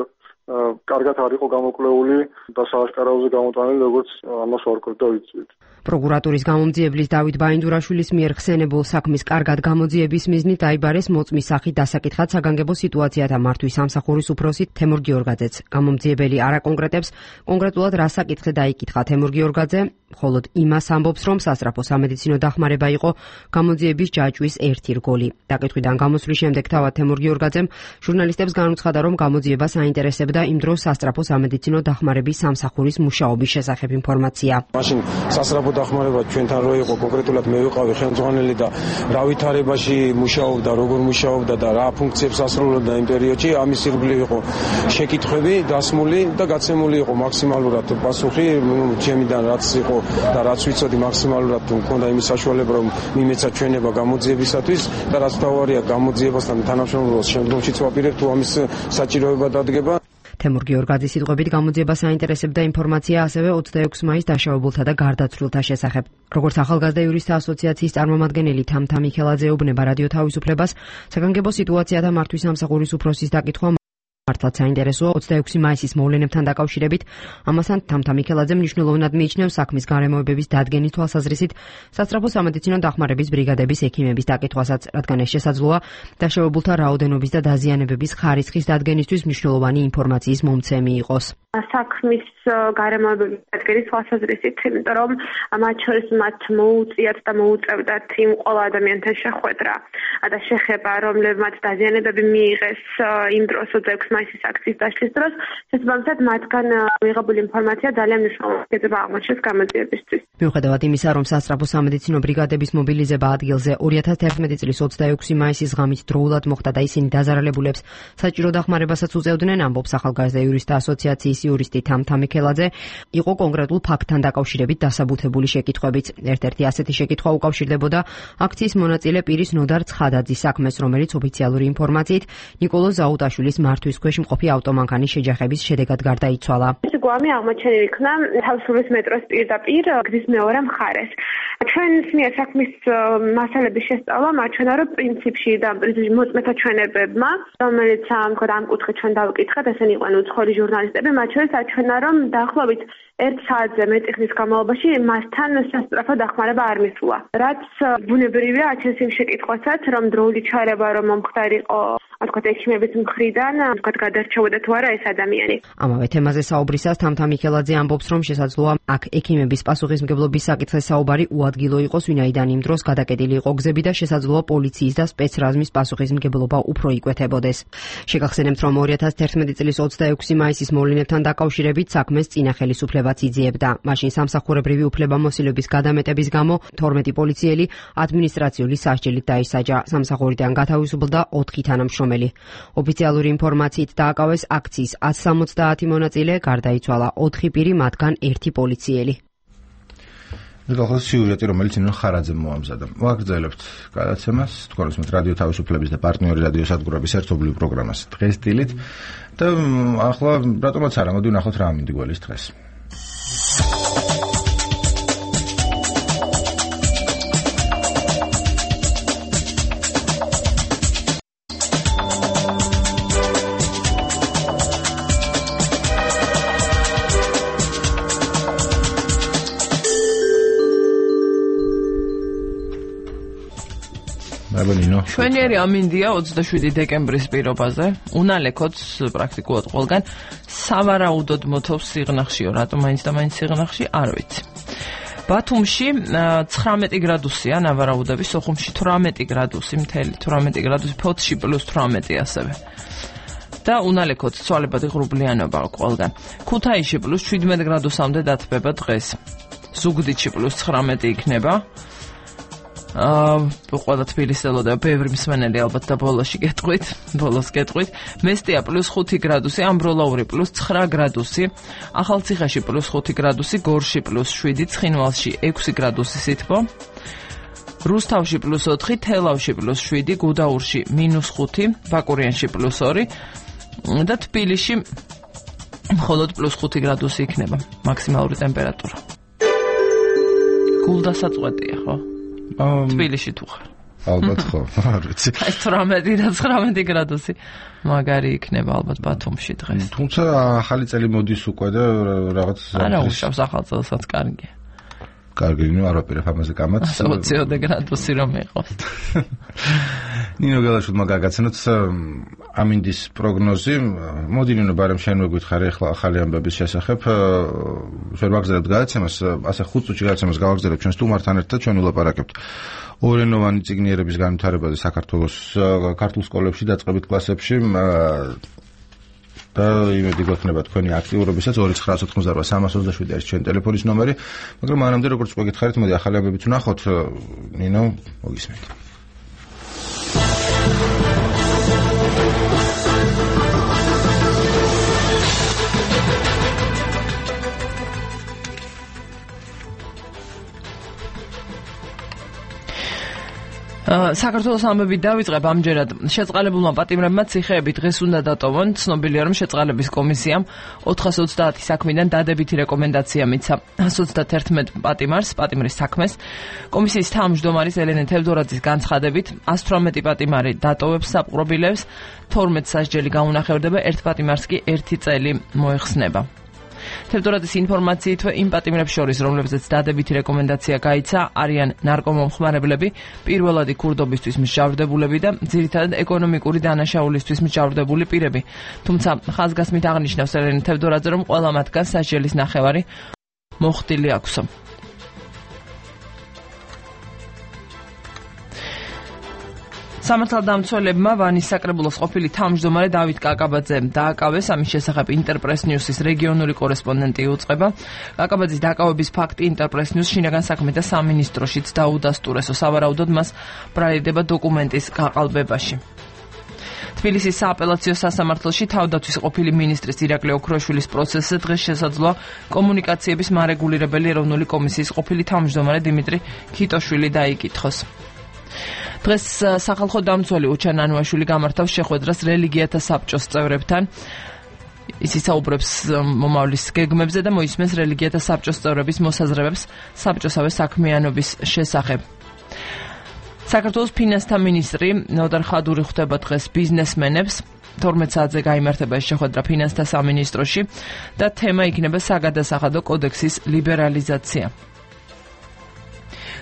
კარგად არ იყო გამოკვლეული და სააშკარაოზე გამოტანილი, როგორც ამას ვარკვევთ და ვიცით. პროკურატურის გამომძიებლის დავით ბაინდურაშვილის მიერ ხსენებულ საქმის კარგად გამოძიების მიზნით დაიბარეს მოწმის სახით დასაკითხად საგანგებო სიტუაციათა მართვის სამსახურის უფროსი თემურ გიორგაძეც. გამომძიებელი არ აკონკრეტებს კონკრეტულად რა საკითხი დაიკითხა თემურ გიორგაძე, მხოლოდ იმას ამბობს, რომ სასწრაფო სამედიცინო დახმარება იყო გამოძიების ჯაჭვის ერთი რგოლი. დაკითხვიდან გამოსვლის შემდეგ თავად თემურ გიორგაძემ ჟურნალისტებს განუცხადა, რომ გამოძიებას აინტერესებდა იმ დროს სასწრაფო სამედიცინო დახმარების სამსახურის მუშაობის შესახებ ინფორმაცია. მაშინ სასწრაფო დახმარება ჩვენთან რო იყო, კონკრეტულად მე ვიყავი ხელმძღვანელი და რა ვითარებაში მუშაობდა, როგორ მუშაობდა და რა ფუნქციებს ასრულებდა იმ პერიოდში, ამის ირგვლივ იყო შეკითხვები დასმული და გაცემული იყო მაქსიმალურად პასუხი, ჩემიდან რაც იყო და რაც ვიცოდი მაქსიმალურად მქონდა იმის საშუალება, რომ მიმეცა ჩვენება გამოძიებისათვის და რაც თავარია გამოძიებასთან თანამშრომლობას შემდგომშიც ვაპირებ თუ ამის საჭიროება დადგება. თემურ გიორგაძის სიტყვებით გამოძიებას აინტერესებდა ინფორმაცია ასევე ოცდაექვსი მაისს დაშავებულთა და გარდაცვლილთა შესახებ. როგორც ახალგაზრდა იურისტთა ასოციაციის წარმომადგენელი თამთა მიქელაძე ეუბნება რადიო თავისუფლებას, საგანგებო სიტუაციათა მართვის სამსახურის უფროსის დაკითხვა მართლაც საინტერესოა ოცდაექვსი მაისის მოვლენებთან დაკავშირებით. ამასთან თამთა მიქელაძე მნიშვნელოვნად მიიჩნევს საქმის გარემოებების დადგენის თვალსაზრისით სასწრაფო სამედიცინო დახმარების ბრიგადების ექიმების დაკითხვასაც, რადგან ეს შესაძლოა დაშავებულთა რაოდენობის და დაზიანებების ხარისხის დადგენისთვის მნიშვნელოვანი ინფორმაციის მომცემი იყოს. საქმის გარემოებების დადგენის თვალსაზრისით, იმიტომ რომ მათ შორის მათ მოუწიათ და მოუწევდათ იმ ყველა ადამიანთან შეხვედრა და შეხება, რომლებმაც დაზიანებები მიიღეს იმ დროს ოცდაექვსი მაისის აქციის დაშლის დროს, შესაბამისად მათგან მიღებული ინფორმაცია ძალიან მნიშვნელოვანია აღმოჩნდეს გამოძიებისთვის. მიუხედავად იმისა, რომ სასწრაფო სამედიცინო ბრიგადების მობილიზება ადგილზე ორი ათას თერთმეტი წლის ოცდაექვსი მაისის ღამით დროულად მოხდა და ისინი დაზარალებულებს საჭირო დახმარებასაც უწევდნენ, ამბობს ახალგაზრდა იურისტთა ასოციაციის იურისტი თამთა მიქელაძე, იყო კონკრეტულ ფაქტთან დაკავშირებით დასაბუთებული შეკითხვებიც. ერთ-ერთი ასეთი შეკითხვა უკავშირდებოდა აქციის მონაწილე პირის ნოდარ ცხადაძის საქმეს, რომელიც ოფიციალური ინფორმაციით ნიკოლოზ ზაუტაშვილის მართვის ქვეშ მყოფი ავტომანქანის შეჯახების შედეგად გარდაიცვალა. ეს გვამი აღმოჩენილი იქნა თავისუფლების მეტროს პირდაპირ გზის მეორე მხარეს. ჩვენს მიერ საქმის მასალების შესწავლა მარჩვენა, რომ პრინციპში და მოწმეთა ჩვენებებმა, რომელიც ამ კუთხით ჩვენ დავკითხეთ, ესენი იყვნენ უცხოელი ჟურნალისტები, მათ შორის აჩვენა, რომ დაახლოებით ერთ საათზე მეტი ხნის განმავლობაში მასთან სასწრაფო დახმარება არ მისულა. რაც ბუნებრივია, აჩენს იმ შეკითხვასაც, რომ დროული ჩარევა რომ მომხდარი იყო, თქვათ ექიმების მხრიდან, თქვათ გადარჩეოდა თუ არა ეს ადამიანი. ამავე თემაზე საუბრისას თამთა მიქელაძე ამბობს, რომ შესაძლოა აქ ექიმების პასუხისმგებლობის საკითხზე საუბარი უადგილო იყოს, ვინაიდან იმ დროს გადაკეტილი იყო გზები და შესაძლოა პოლიციის და სპეცრაზმის პასუხისმგებლობა უფრო იკვეთებოდეს. შეგახსენებთ, რომ ორი ათას თერთმეტი წლის ოცდაექვსი მაისის მოვლენებთან დაკავშირებით საქმეს წინა ხელისუფლებაც იძიებდა. მაშინ სამსახურებრივი უფლებამოსილების გადამეტების გამო თორმეტი პოლიციელი ადმინისტრაციული სასჯელით დაისაჯა. სამსახურიდან გათავისუფლდა ოთხი თანამშრომელი. ოფიციალური ინფორმაციით დააკავეს აქციის ათს სამოცდაათი მონაწილე, გარდაიცვალა ოთხი პირი, მათგან ერთი პოლიციელი. მეგობრებო, სიუჟეტი, რომელიც ინო ხარაძემ მოამზადა. ვაგრძელებთ გადაცემას, თქვენ უსმენთ რადიო თავისუფლების და პარტნიორი რადიო სადგურების ერთობლივ პროგრამას დღეს დილით და ახლა რატომაც არა, მოდი ვნახოთ რა ამინდი გველის დღეს. შვენიერი ამინდია ოცდაშვიდი დეკემბრის პირობაზე. უნალექოც პრაქტიკულად ყველგან სავარაუდოდ მოთოვს სიღნაღშიო, რატომ მაინც და მაინც სიღნაღში, არ ვიცი. ბათუმში ცხრამეტი გრადუსია ნავარაუდები, სოხუმში თვრამეტი გრადუსი, მთელი თვრამეტი გრადუსი, ფოთში პლუს თვრამეტი ასევე. და უნალექოც ცვალებადი ღრუბლიანობა ყველგან. ქუთაისში პლუს შვიდმეტ გრადუსამდე დათბება დღეს. ზუგდიდში პლუს ცხრამეტი იქნება. აა ყველა თბილისს ელოდება ბევრი მსმენელი ალბათ და ბოლოში გეტყვით, ბოლოს გეტყვით. მესტია პლუს ხუთი გრადუსი, ამბროლაური პლუს ცხრა გრადუსი, ახალციხეში პლუს ხუთი გრადუსი, გორში პლუს შვიდი, ცხინვალში ექვსი გრადუსი სითბო. რუსთავში პლუს ოთხი, თელავში პლუს შვიდი, გუდაურში მინუს ხუთი, ბაკურიანში პლუს ორი და თბილისში მხოლოდ პლუს ხუთი გრადუსი იქნება მაქსიმალური ტემპერატურა. გულდასაწყვეტია, ხო? თბილისში თუ ხარ. ალბათ ხო, არ ვიცი. აი თვრამეტი და ცხრამეტი გრადუსი მაგარი იქნება ალბათ ბათუმში დღეს. თუმცა ახალი წელი მოდის უკვე და რაღაც არა, უშავს ახალ წელსაც კარგია. კარგი, ნუ არ ვაპირებ ამაზე კამათს. ოცი გრადუსი რომ იყოს. ნინო გელაშვილმა გაგაცნოთ ამინდის პროგნოზი. მოდი ნინო, ბარემ შენ მოგვითხრე ახლა ახალი ამბების შესახებ. ჩვენ ვაგზავნებთ გადაცემას, ასე ხუთ წუთში გადაცემას გავაგზავნებთ ჩვენ სტუმართან ერთად, ჩვენ ვილაპარაკებთ ორენოვანი წიგნიერების განვითარებაზე საქართველოს ქართულ სკოლებში, დაწყებით კლასებში. და იმედი გვექნება თქვენი აქტიურობისაც ორი ცხრა ოთხმოცდარვა სამას ოცდაშვიდი არის ჩვენი ტელეფონის ნომერი. მაგრამ მანამდე როგორც უკვე გითხარით, მოდი ახალი ამბებიც ვნახოთ. ნინო, მოგისმენთ. საქართველოს ამბებით დავიწყებ ამჯერად. შეწყალებულმა პატიმრებმა ციხეები დღეს უნდა დატოვონ. ცნობილია, რომ შეწყალების კომისიამ ოთხას ოცდაათი საქმიდან დადებითი რეკომენდაცია მიცა ას ოცდაათი პატიმარს, პატიმრის საქმეს. კომისიის თავმჯდომარის ელენე თევდორაძის განცხადებით, ას თვრამეტი პატიმარი დატოვებს საპყრობილებს, თორმეტ სასჯელი გაუნახევდება, ერთ პატიმარს კი ერთი წელი მოეხსნება. თევდორაძის ინფორმაციით, იმ პატიმრებს შორის, რომლებზეც დადებითი რეკომენდაცია გაიცა, არიან ნარკომომხმარებლები, პირველადი ქურდობისთვის მსჯავრდებულები და ძირითადად ეკონომიკური დანაშაულისთვის მსჯავრდებული პირები. თუმცა ხაზგასმით აღნიშნავს ელენე თევდორაძე, რომ ყველა მათგანს სასჯელის ნახევარი მოხდილი აქვს. სამართალდამცველებმა ვანის საკრებულოს ყოფილი თავმჯდომარე დავით კაკაბაძე დააკავეს. ამის შესახებ ინტერპრეს ნიუსის რეგიონული კორესპონდენტი იუწყება. კაკაბაძის დაკავების ფაქტი ინტერპრეს ნიუს შინაგან საქმეთა სამინისტროშიც დაუდასტურესო. სავარაუდოდ მას ბრალდება დოკუმენტის გაყალბებაში. თბილისის სააპელაციო სასამართლოში თავდაცვის ყოფილი მინისტრის ირაკლი ოქროშვილის პროცესზე დღეს შესაძლოა კომუნიკაციების მარეგულირებელი ეროვნული კომისიის ყოფილი თავმჯდომარე დიმიტრი ქიტოშვილი დაიკითხოს. დღეს სახალხო დამცველი უჩან ანუაშვილი გამართავს შეხვედრას რელიგიათა საბჭოს წევრებთან. ის ისაუბრებს მომავლის გეგმებზე და მოისმენს რელიგიათა საბჭოს წევრების მოსაზრებებს საბჭოსავე საქმიანობის შესახებ. საქართველოს ფინანსთა მინისტრი ნოდარ ხადური ხვდება დღეს ბიზნესმენებს. თორმეტ საათზე გაიმართება ეს შეხვედრა ფინანსთა სამინისტროში და თემა იქნება საგადასახადო კოდექსის ლიბერალიზაცია.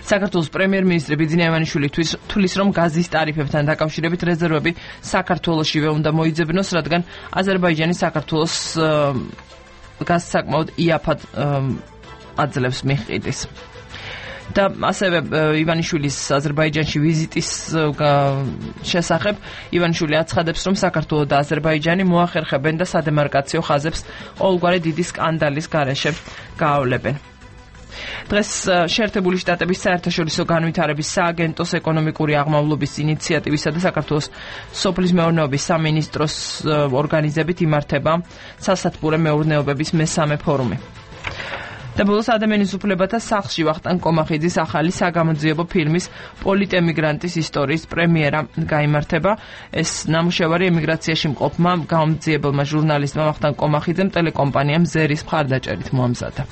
საქართველოს პრემიერ-მინისტრი ბიძინა ივანიშვილი თვლის, რომ გაზის ტარიფებთან დაკავშირებით რეზერვები საქართველოსშივე უნდა მოიძებნოს, რადგან აზერბაიჯანი საქართველოს გაზს საკმაოდ იაფად აძლევს მიყიდის. და ასევე ივანიშვილის აზერბაიჯანში ვიზიტის შესახებ ივანიშვილი აცხადებს, რომ საქართველო და აზერბაიჯანი მოახერხებენ და სადემარკაციო ხაზებს ყოველგვარი დიდი სკანდალის გარეშე გაავლებენ. დღეს შეერთებული შტატების საერთაშორისო განვითარების სააგენტოს ეკონომიკური აღმავლობის ინიციატივისა და საქართველოს სოფლის მეურნეობის სამინისტროს ორგანიზებით იმართება სასათბურე მეურნეობების მესამე ფორუმი. და ბოლოს ადამიანის უფლებათა სახლში ვახტანგ კომახიძის ახალი საგამოძიებო ფილმის პოლიტემიგრანტის ისტორიის პრემიერა გაიმართება. ეს ნამუშევარი ემიგრაციაში მყოფმა გამომძიებელმა ჟურნალისტმა ვახტანგ კომახიძემ ტელეკომპანიამ ზერის მხარდაჭერით მოამზადა.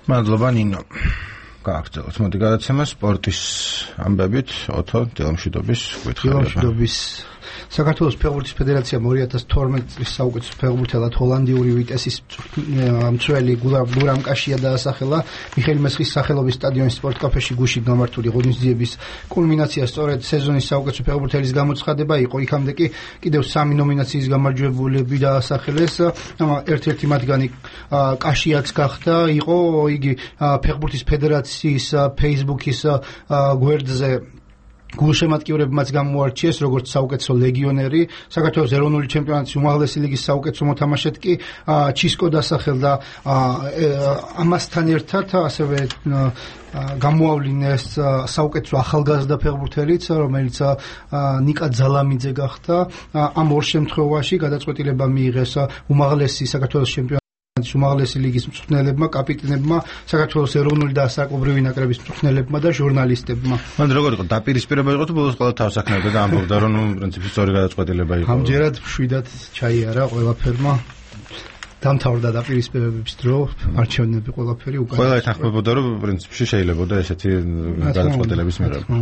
მადლობა ნინო. გააგრძელოთ მოდი გადაცემა სპორტის ამბებით. ოთო დილამშვიდობის გითხარება. დილამშვიდობის. საქართველოს ფეხბურთის ფედერაციამ ორი ათას თორმეტ წლის საუკეთესო ფეხბურთელად ჰოლანდიური ვიტესის მცველი გურამ კაშია დაასახელა. მიხეილ მესხის სახელობის სტადიონის სპორტ კაფეში გუშინ გამართული ღონისძიების კულმინაცია სწორედ სეზონის საუკეთესო ფეხბურთელის გამოცხადება იყო. იქამდე კი კიდევ სამი ნომინაციის გამარჯვებულები დაასახელეს. ერთ-ერთი მათგანი კაშიაც გახდა. იყო იგი ფეხბურთის ფედერაციის Facebook-ის გვერდზე გულშემატკივრებმაც გამოარჩიეს როგორც საუკეთესო ლეგიონერი, საქართველოს ეროვნული ჩემპიონატის უმაღლესი ლიგის საუკეთესო მოთამაშედ კი ჩისკო დასახელდა. ამასთან ერთად ასევე გამოავლინეს საუკეთესო ახალგაზრდა ფეხბურთელიც, რომელიც ნიკა ძალამიძე გახდა. ამ ორ შემთხვევაში გადაწყვეტილება მიიღეს უმაღლესი საქართველოს ჩემპიონატის უმაღლესი ლიგის მწვრთნელებმა, კაპიტნებმა, საქართველოს ეროვნული და ასაკობრივი ნაკრების მწვრთნელებმა და ჟურნალისტებმა. მან როგორ იყო დაპირისპირება იყო თუ ბოლოს ყველა თავს აქნებდა და ამბობდა რომ პრინციპში სწორი გადაწყვეტილება იყო. ამჯერად მშვიდად ჩაიარა ყველაფერმა. დამთავრდა დაპირისპირებების დრო, არჩევნები ყველაფერი უკან. ყველა ეთანხმებოდა რომ პრინციპში შეიძლება და ესეთი გადაწყვეტილების მიღება.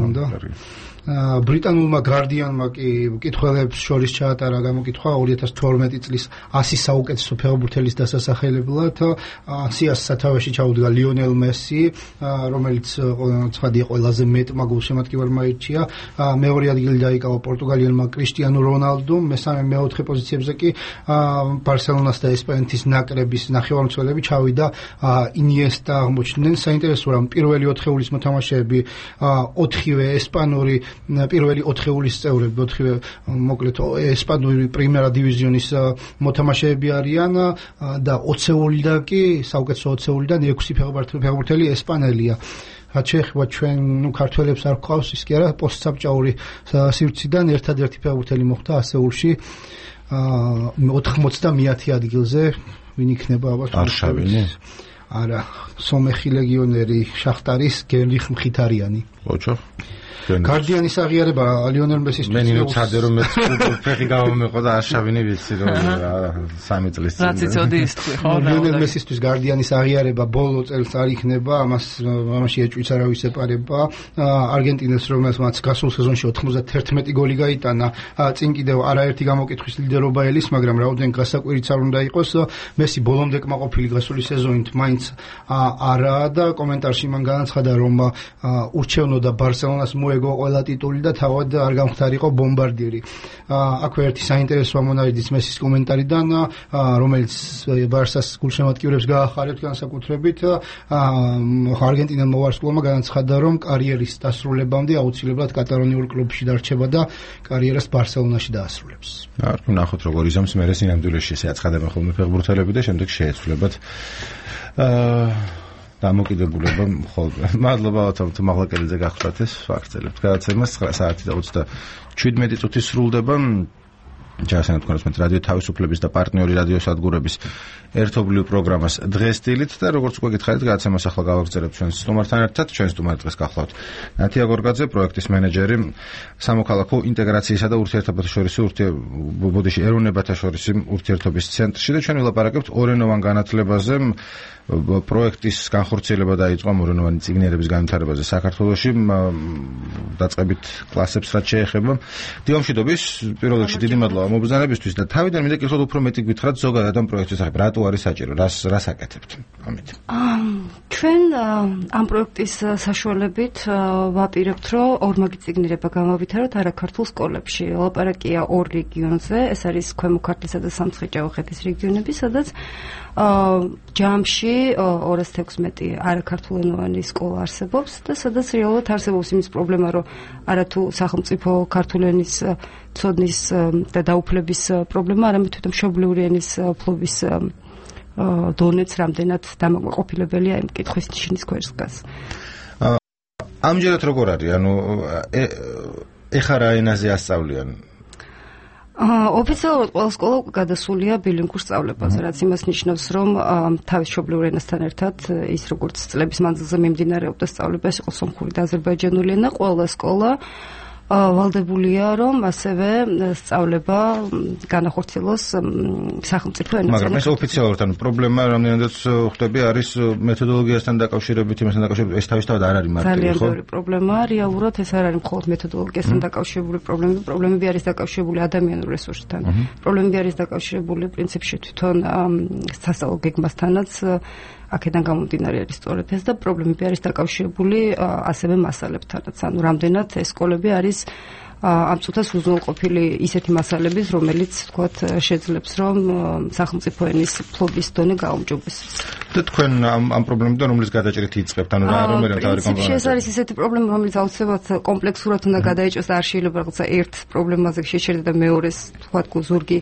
ბრიტანულმა გარდიანმა კი კითხველებს შორის ჩაატარა გამოკითხვა ორი ათას თორმეტი წლის ასი საუკეთესო ფეხბურთელის დასასახელებლად. სიას სათავეში ჩაუდგა ლიონელ მესი, რომელიც ცხადია ყველაზე მეტმა გულშემატკივარმა ირჩია. მეორე ადგილი დაიკავა პორტუგალიელმა კრისტიანო რონალდომ, მესამე მეოთხე პოზიციებზე კი ბარსელონას და ესპანეთის ნაკრების ნახევარმცველები ჩავიდა ინიესტა აღმოჩნდნენ. საინტერესოა რომ პირველი ოთხეულის მოთამაშეები ოთხივე ესპანური პირველი ოთხეულის წევრები, ოთხივე მოკლედ ესპანური პრიმერა დივიზიონის მოთამაშეები არიან და ოცეულიდან კი საუკეთესო ოცეულიდან ექვსი ფეხბურთელი ესპანელია. რაც შეეხება ჩვენ ნუ ქართველებს არ გვყავს ის კი არა პოსტსაბჭოური სივრციდან ერთადერთი ფეხბურთელი მოხდა ასეულში ოთხმოცდამეათე ადგილზე ვინ იქნება აბა არშავინი არა სომეხი ლეგიონერი შახტარის გელიხ მხითარიანი ოჩო გარდიანის აღიარება ლიონელ მესისთვის მე ნინო ცადე რომ მე ფეხი გამომეყო და არშავინი ვიცი რომ სამი წლის წინ რაც იცოდი ის თქვი ხო ლიონელ მესისთვის გარდიანის აღიარება ბოლო წელს არ იქნება ამას ამაში ეჭვიც არავის ეპარება არგენტინას რომელსაც გასულ სეზონში ოთხმოცდათერთმეტი გოლი გაიტანა წინ კიდევ არაერთი გამოკითხვის ლიდერობა ელის მაგრამ რაოდენ გასაკვირიც არ უნდა იყოს მესი ბოლომდე კმაყოფილი გასული სეზონით მაინც არაა და კომენტარში მან განაცხადა რომ ურჩევნოდა ბარსელონას მოეგო ყველა ტიტული და თავად არ გამختارიყო ბომბარდირი. აქვე ერთი საინტერესო ამონარიდის მესის კომენტარიდან, რომელიც ბარსას გულშემატკივრებს გაახარებთ განსაკუთრებით, არგენტინელმა ვარსკვლავმა განაცხადა, რომ კარიერის დასრულებამდე აუცილებლად კატალონიურ კლუბში დარჩება და კარიერას ბარსელონაში დაასრულებს. არ ვნახოთ როგორ იზამს მერე სინამდვილეში ესე აცხადებენ ხოლმე ფეხბურთელები და შემდეგ შეეცვლებათ აა დამოკიდებულება ხოლმე. მადლობა ავთომ თუ მაღლაკელიძე გახლდათ ეს ფაქტელებთ. გადაცემა ცხრა საათი და ოცდაშვიდმეტი წუთი სრულდება. ჯაშენ თქვენს მე რადიო თავისუფლების და პარტნიორი რადიო სადგურების ერთობლივ პროგრამას დღეს დილით და როგორც უკვე გითხარით გადაცემას ახლა გავაგრძელებთ ჩვენს სტუმართან ერთად ჩვენ სტუმარი დღეს გახლავთ ნათია გორგაძე პროექტის მენეჯერი სამოქალაქო ინტეგრაციისა და ურთიერთობათა შორისი ურთიერთობოდიში ეროვნებათა შორისი ურთიერთობის ცენტრში და ჩვენ ვილაპარაკებთ ორენოვან განათლებაზე პროექტის განხორციელება დაიწყო ორენოვანი წიგნიერების განვითარებაზე საქართველოში დაწყებით კლასებს რაც შეეხება დილომშვიდობის პირველ რიგში დიდი მადლობა მობრძანებისთვის და თავიდან მინდა კითხოთ უფრო მეტი გითხრათ ზოგადად ამ პროექტის სახებ რატო არის საჭირო რას რას აკეთებთ ამით ჩვენ ამ პროექტის საშუალებით ვაპირებთ რომ ორმაგი წიგნიერება გამავითაროთ არაქართულ სკოლებში ლაპარაკია ორ რეგიონზე ეს არის ქვემო ქართლისა და სამცხე-ჭაუხეთის რეგიონები სადაც ჯამში ორას თექვსმეტი არაქართულენოვანი სკოლა არსებობს და სადაც რეალურად არსებობს იმის პრობლემა რომ არათუ სახელმწიფო ქართული ენის ცოდნის და დაუფლების პრობლემა არამედ თვითონ მშობლიური ენის ფლობის დონეც რამდენად დამაკმაყოფილებელია იმ კითხვის ნიშნის ქვეშ დგას. ამჯერად როგორ არის? ანუ ეხლა რა ენაზე ასწავლიან? ოფიციალურად ყველა სკოლა გადასულია ბილინგურ სწავლებაზე, რაც იმას ნიშნავს, რომ თავის მშობლიურ ენასთან ერთად ის როგორც წლების მანძილზე მიმდინარეობდა სწავლება, ეს იყო სომხური და აზერბაიჯანული ენა, ყველა სკოლა ვალდებულია რომ ასევე სწავლება განახორციელოს სახელმწიფო ენაზე. მაგრამ ეს ოფიციალურად ანუ პრობლემა რამდენადაც ხვდები არის მეთოდოლოგიასთან დაკავშირებით, იმასთან დაკავშირებით, ეს თავისთავად არ არის მარტივი, ხო? ძალიან ბევრი პრობლემაა, რეალურად ეს არ არის მხოლოდ მეთოდოლოგიასთან დაკავშირებული პრობლემები, პრობლემები არის დაკავშირებული ადამიანურ რესურსთან. პრობლემები არის დაკავშირებული პრინციპში თვითონ სასწავლო გეგმასთანაც აქედან გამომდინარე არის სწორედ ეს და პრობლემები არის დაკავშირებული ასევე მასალებთანაც. ანუ რამდენად ეს სკოლები არის ამ წუთას უზრუნველყოფილი ისეთი მასალების, რომელიც თქვათ შეძლებს რომ სახელმწიფო ენის ფლობის დონე გაუმჯობესდეს. და თქვენ ამ ამ პრობლემიდან რომლის გადაჭრით იწყებთ, ანუ რა რომელი მთავარი კომპონენტი? ეს არის ისეთი პრობლემა, რომელიც აუცილებლად კომპლექსურად უნდა გადაეჭოს და არ შეიძლება რაღაცა ერთ პრობლემაზე შეჩერდა და მეორეს თქვათ ზურგი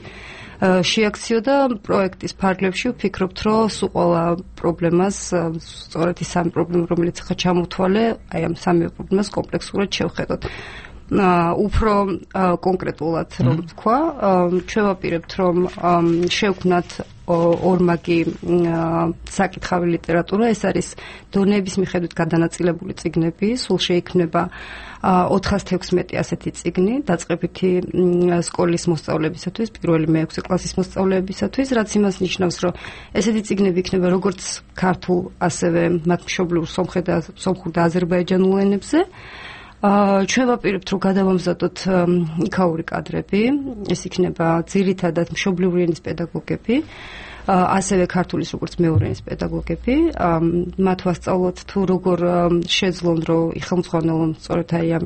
შეაქციო და პროექტის ფარგლებში ვფიქრობთ, რომ სულ ყველა პრობლემას, სწორედ ის სამი პრობლემა, რომელიც ხა ჩამოთვალე, აი ამ სამი პრობლემას კომპლექსურად შევხედოთ. უფრო კონკრეტულად რომ ვთქვა, ჩვენ ვაპირებთ რომ შევქმნათ ორმაგი საკითხავი ლიტერატურა, ეს არის დონეების მიხედვით გადანაწილებული წიგნები, სულ შეიქმნება ოთხას თექვსმეტი ასეთი წიგნი, დაწყებითი სკოლის მოსწავლეებისათვის, პირველი მეექვსე კლასის მოსწავლეებისათვის, რაც იმას ნიშნავს, რომ ესეთი წიგნები იქნება როგორც ქართულ, ასევე მათ მშობლიურ სომხურ და სომხურ და აზერბაიჯანულ ენებზე. ჩვენ ვაპირებთ რომ გადავამზადოთ იქაური კადრები, ეს იქნება ძირითადად მშობლიური ენის პედაგოგები, ასევე ქართულის როგორც მეორე ენის პედაგოგები, მათ ვასწავლოთ თუ როგორ შეძლონ რომ იხელმძღვანელონ სწორედ აი ამ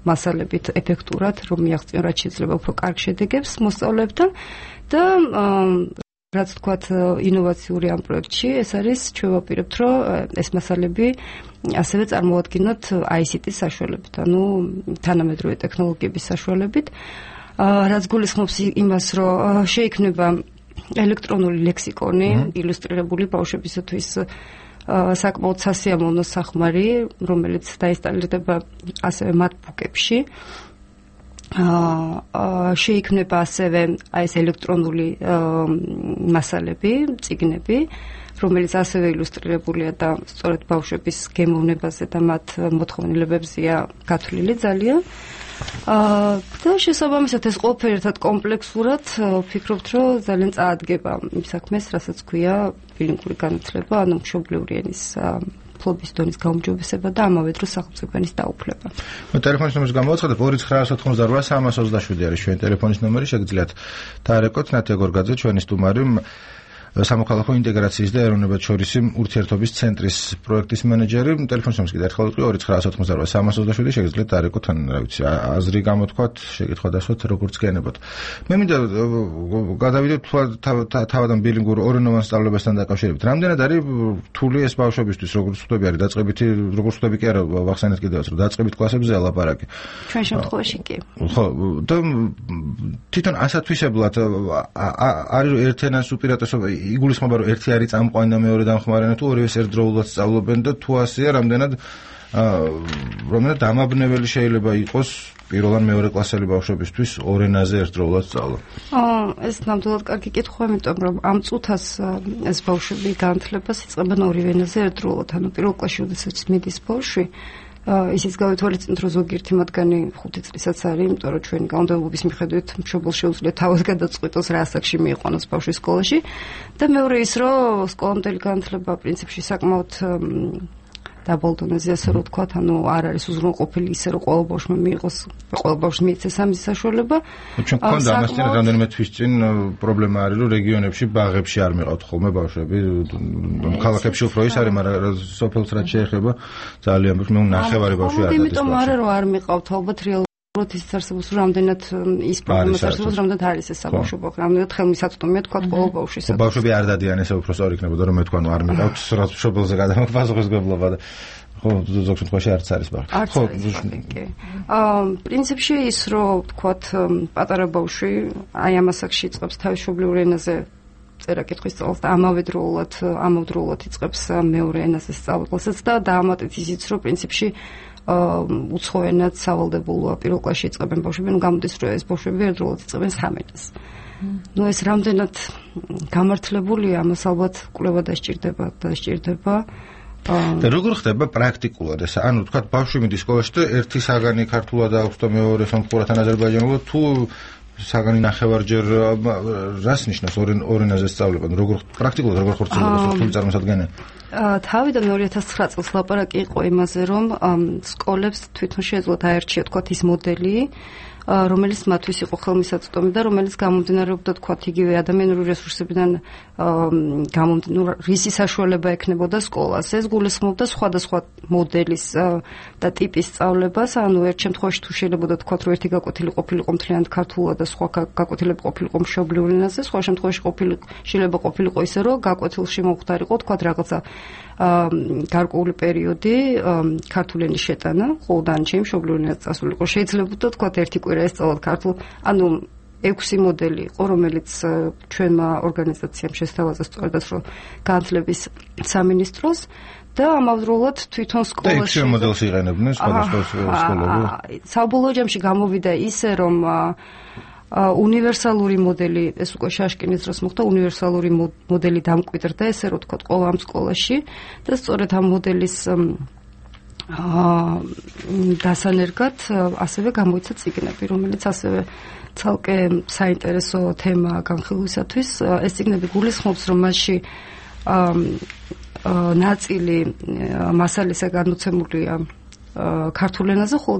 მასალებით ეფექტურად, რომ მიაღწიონ რაც შეიძლება უფრო კარგ შედეგებს მოსწავლეებთან და რაც თქვათ ინოვაციური ამ პროექტში, ეს არის ჩვენ ვაპირებთ რომ ეს მასალები ასევე წარმოადგინოთ აი სი ტის საშუალებით, ანუ თანამედროვე ტექნოლოგიების საშუალებით, რაც გულისხმობს იმას, რომ შეიქმნება ელექტრონული ლექსიკონი, ილუსტრირებული ბავშვებისათვის საკმაოდ სასიამოვნო სახმარი, რომელიც დაინსტალირდება ასევე MacBook-ებში. შეიქმნება ასევე აი ეს ელექტრონული მასალები, წიგნები, რომელიც ასევე ილუსტრირებულია და სწორედ ბავშვების გემოვნებაზე და მათ მოთხოვნილებებზეა გათვლილი ძალიან. და შესაბამისად ეს ყველაფერი ერთად კომპლექსურად ვფიქრობთ, რომ ძალიან წაადგება იმ საქმეს, რასაც ქვია ბილინგური განათლება, ანუ მშობლიური ენის ფლობის დონის გაუმჯობესება და ამავე დროს სახელმწიფო ენის დაუფლება. ტელეფონის ნომერს გამოვაცხადებ ორი ცხრა ოთხმოცდაოთხი სამას ოცდაშვიდი არის ჩვენი ტელეფონის ნომერი, შეგიძლიათ დაარეკოთ ნათია გორგაძე, ჩვენი სტუმარი, სამოქალაქო ინტეგრაციის და ეროვნებათშორისი ურთიერთობის ცენტრის პროექტის მენეჯერი. ტელეფონის ნომერს კიდევ ერთხელ ვიტყვი ორი ცხრა ოთხმოცდაოთხი სამას ოცდაშვიდი, შეგიძლიათ დაარეკოთ ან რა ვიცი, აზრი გამოთქვათ, შეკითხვა დასვათ, როგორც გენებოთ. მე მინდა გადავიდეთ თავადან ბილინგურ ორენოვან სწავლებასთან დაკავშირებით. რამდენად არის რთული ეს ბავშვებისთვის, როგორც ხვდები არის დაწყებითი, როგორც ხვდები კი არა, ვახსენეთ კიდევაც, რომ დაწყებით კლასებზე ლაპარაკი. ჩვენ შემთხვევაში კი. ხო, და თვითონ ასათვისებლად არის ერთენას უპირატესობა იგულისხმება რომ ერთი არის წამყვანი და მეორე დამხმარე, თუ ორივეს ერთდროულად სწავლობენ და თუ ასეა რამდენად რომელად დამაბნეველი შეიძლება იყოს პირველ ან მეორე კლასელი ბავშვებისთვის ორ ენაზე ერთდროულად სწავლა. ეს ნამდვილად კარგი კითხვაა, იმიტომ რომ ამ წუთას ეს ბავშვები განათლებას იწყებენ ორივე ენაზე ერთდროულად, ანუ პირველ კლასში როდესაც მიდის ბავშვი, ისიც გავითვალისწინოთ, რომ ზოგიერთი მათგანი ხუთი წლისაც არის, იმიტომ რომ ჩვენი კანონმდებლობის მიხედვით მშობელს შეუძლია თავად გადაწყვიტოს რა ასაკში მიიყვანოს ბავშვი სკოლაში და მეორე ის, რომ სკოლამდელი განათლება პრინციპში საკმაოდ დაბალ დონეზე, ასე რომ ვთქვათ, ანუ არ არის უზრუნველყოფილი ისე, რომ ყველა ბავშვმა მიიღოს, ყველა ბავშვს მიეცეს ამის საშუალება. ჩვენ გქონდა ამასთან რამდენიმე თვის წინ პრობლემა არის, რომ რეგიონებში ბაღებში არ მიყავთ ხოლმე ბავშვები, ქალაქებში უფრო ის არის, მაგრამ სოფელს რაც შეეხება ძალიან მე ნახევარი ბავშვი არ არის. იმიტომ არა რომ არ მიყავთ, ალბათ რეალურად ის არსებობს, რომ რამდენად ის პრობლემა არსებობს, რამდენად არის ეს საბავშვო ბაღი, რამდენად ხელმისაწვდომია თქვა ყველა ბავშვისა. ბავშვები არ დადიან, ესე უფრო სწორი იქნებოდა, რომ მე თქვა, ნუ არ მიყავთ, რაც მშობელზე გადამოფასუხებლობა და ხო, ზოგ შემთხვევაში არც არის ბაღი. ხო, კი. აა, პრინციპში ის, რომ თქვათ, პატარა ბავშვი აი ამ ასაკში იწყებს თავის მშობლიურ ენაზე წერა-კითხვის სწავლას და ამავდროულად, ამავდროულად იწყებს მეორე ენაზე სწავლებასაც და დაამატეთ ისიც, რომ პრინციპში უცხოენად სავალდებულოა პირველ კლასში იწყებენ ბავშვები, ნუ გამოდის, რომ ეს ბავშვები ერთდროულად იწყებენ სამ ენას. ნუ ეს რამდენად გამართლებულია, ამას ალბათ კვლევა დასჭირდება, დასჭირდება. და როგორ ხდება პრაქტიკულად ეს? ანუ თქვა ბავშვი მიდის სკოლაში და ერთი საგანი ქართულად აქვს და მეორე სომხურად ან აზერბაიჯანულად, თუ საგანი ნახევარჯერ რას ნიშნავს ორ ენაზე სწავლება? როგორ პრაქტიკულად როგორ ხორციელდება სოფლის წარმოსადგენელი? თავიდან ორი ათას ცხრა წელს ლაპარაკი იყო იმაზე, რომ სკოლებს თვითონ შეეძლოთ აერჩიოთ თქვათ ის მოდელი, რომელიც მათთვის იყო ხელმისაწვდომი და რომელიც გამომდინარეობდა თქვათ იგივე ადამიანური რესურსებიდან გამომდინარე რისი საშუალება ექნებოდა სკოლას. ეს გულისხმობდა სხვადასხვა მოდელის და ტიპის სწავლებას, ანუ ერთ შემთხვევაში თუ შეიძლება თქვათ რომ ერთი გაკვეთილი ყოფილიყო მთლიანად ქართულად და სხვა გაკვეთილები ყოფილიყო მშობლიურ ენაზე, სხვა შემთხვევაში ყოფილი შეიძლება ყოფილიყო ისე რომ გაკვეთილში მომხდარიყო თქვათ რაღაცა გარკვეული პერიოდი ქართული ენის შეტანა, ხოლო დანარჩენი მშობლიურ ენაზე წასულიყო. შეიძლება თქვათ ერთი კვირა ესწავლოთ ქართულ, ანუ ექვსი მოდელი იყო, რომელიც ჩვენმა ორგანიზაციამ შესთავაზა სწორედაც რომ განათლების სამინისტროს და ამავდროულად თვითონ სკოლაში და ექვსი მოდელს იყენებდნენ სხვადასხვა სკოლები. საბოლოო ჯამში გამოვიდა ისე რომ უნივერსალური მოდელი, ეს უკვე შაშკინის დროს მოხდა, უნივერსალური მოდელი დამკვიდრდა, ესე რომ თქვა ყველა ამ სკოლაში და სწორედ ამ მოდელის დასანერგად ასევე გამოიცა წიგნები, რომელიც ასევე ცალკე საინტერესო თემაა განხილვისათვის. ეს წიგნები გულისხმობს, რომ მასში ნაწილი მასალისა განუცემულია ქართულ ენაზე, ხოლო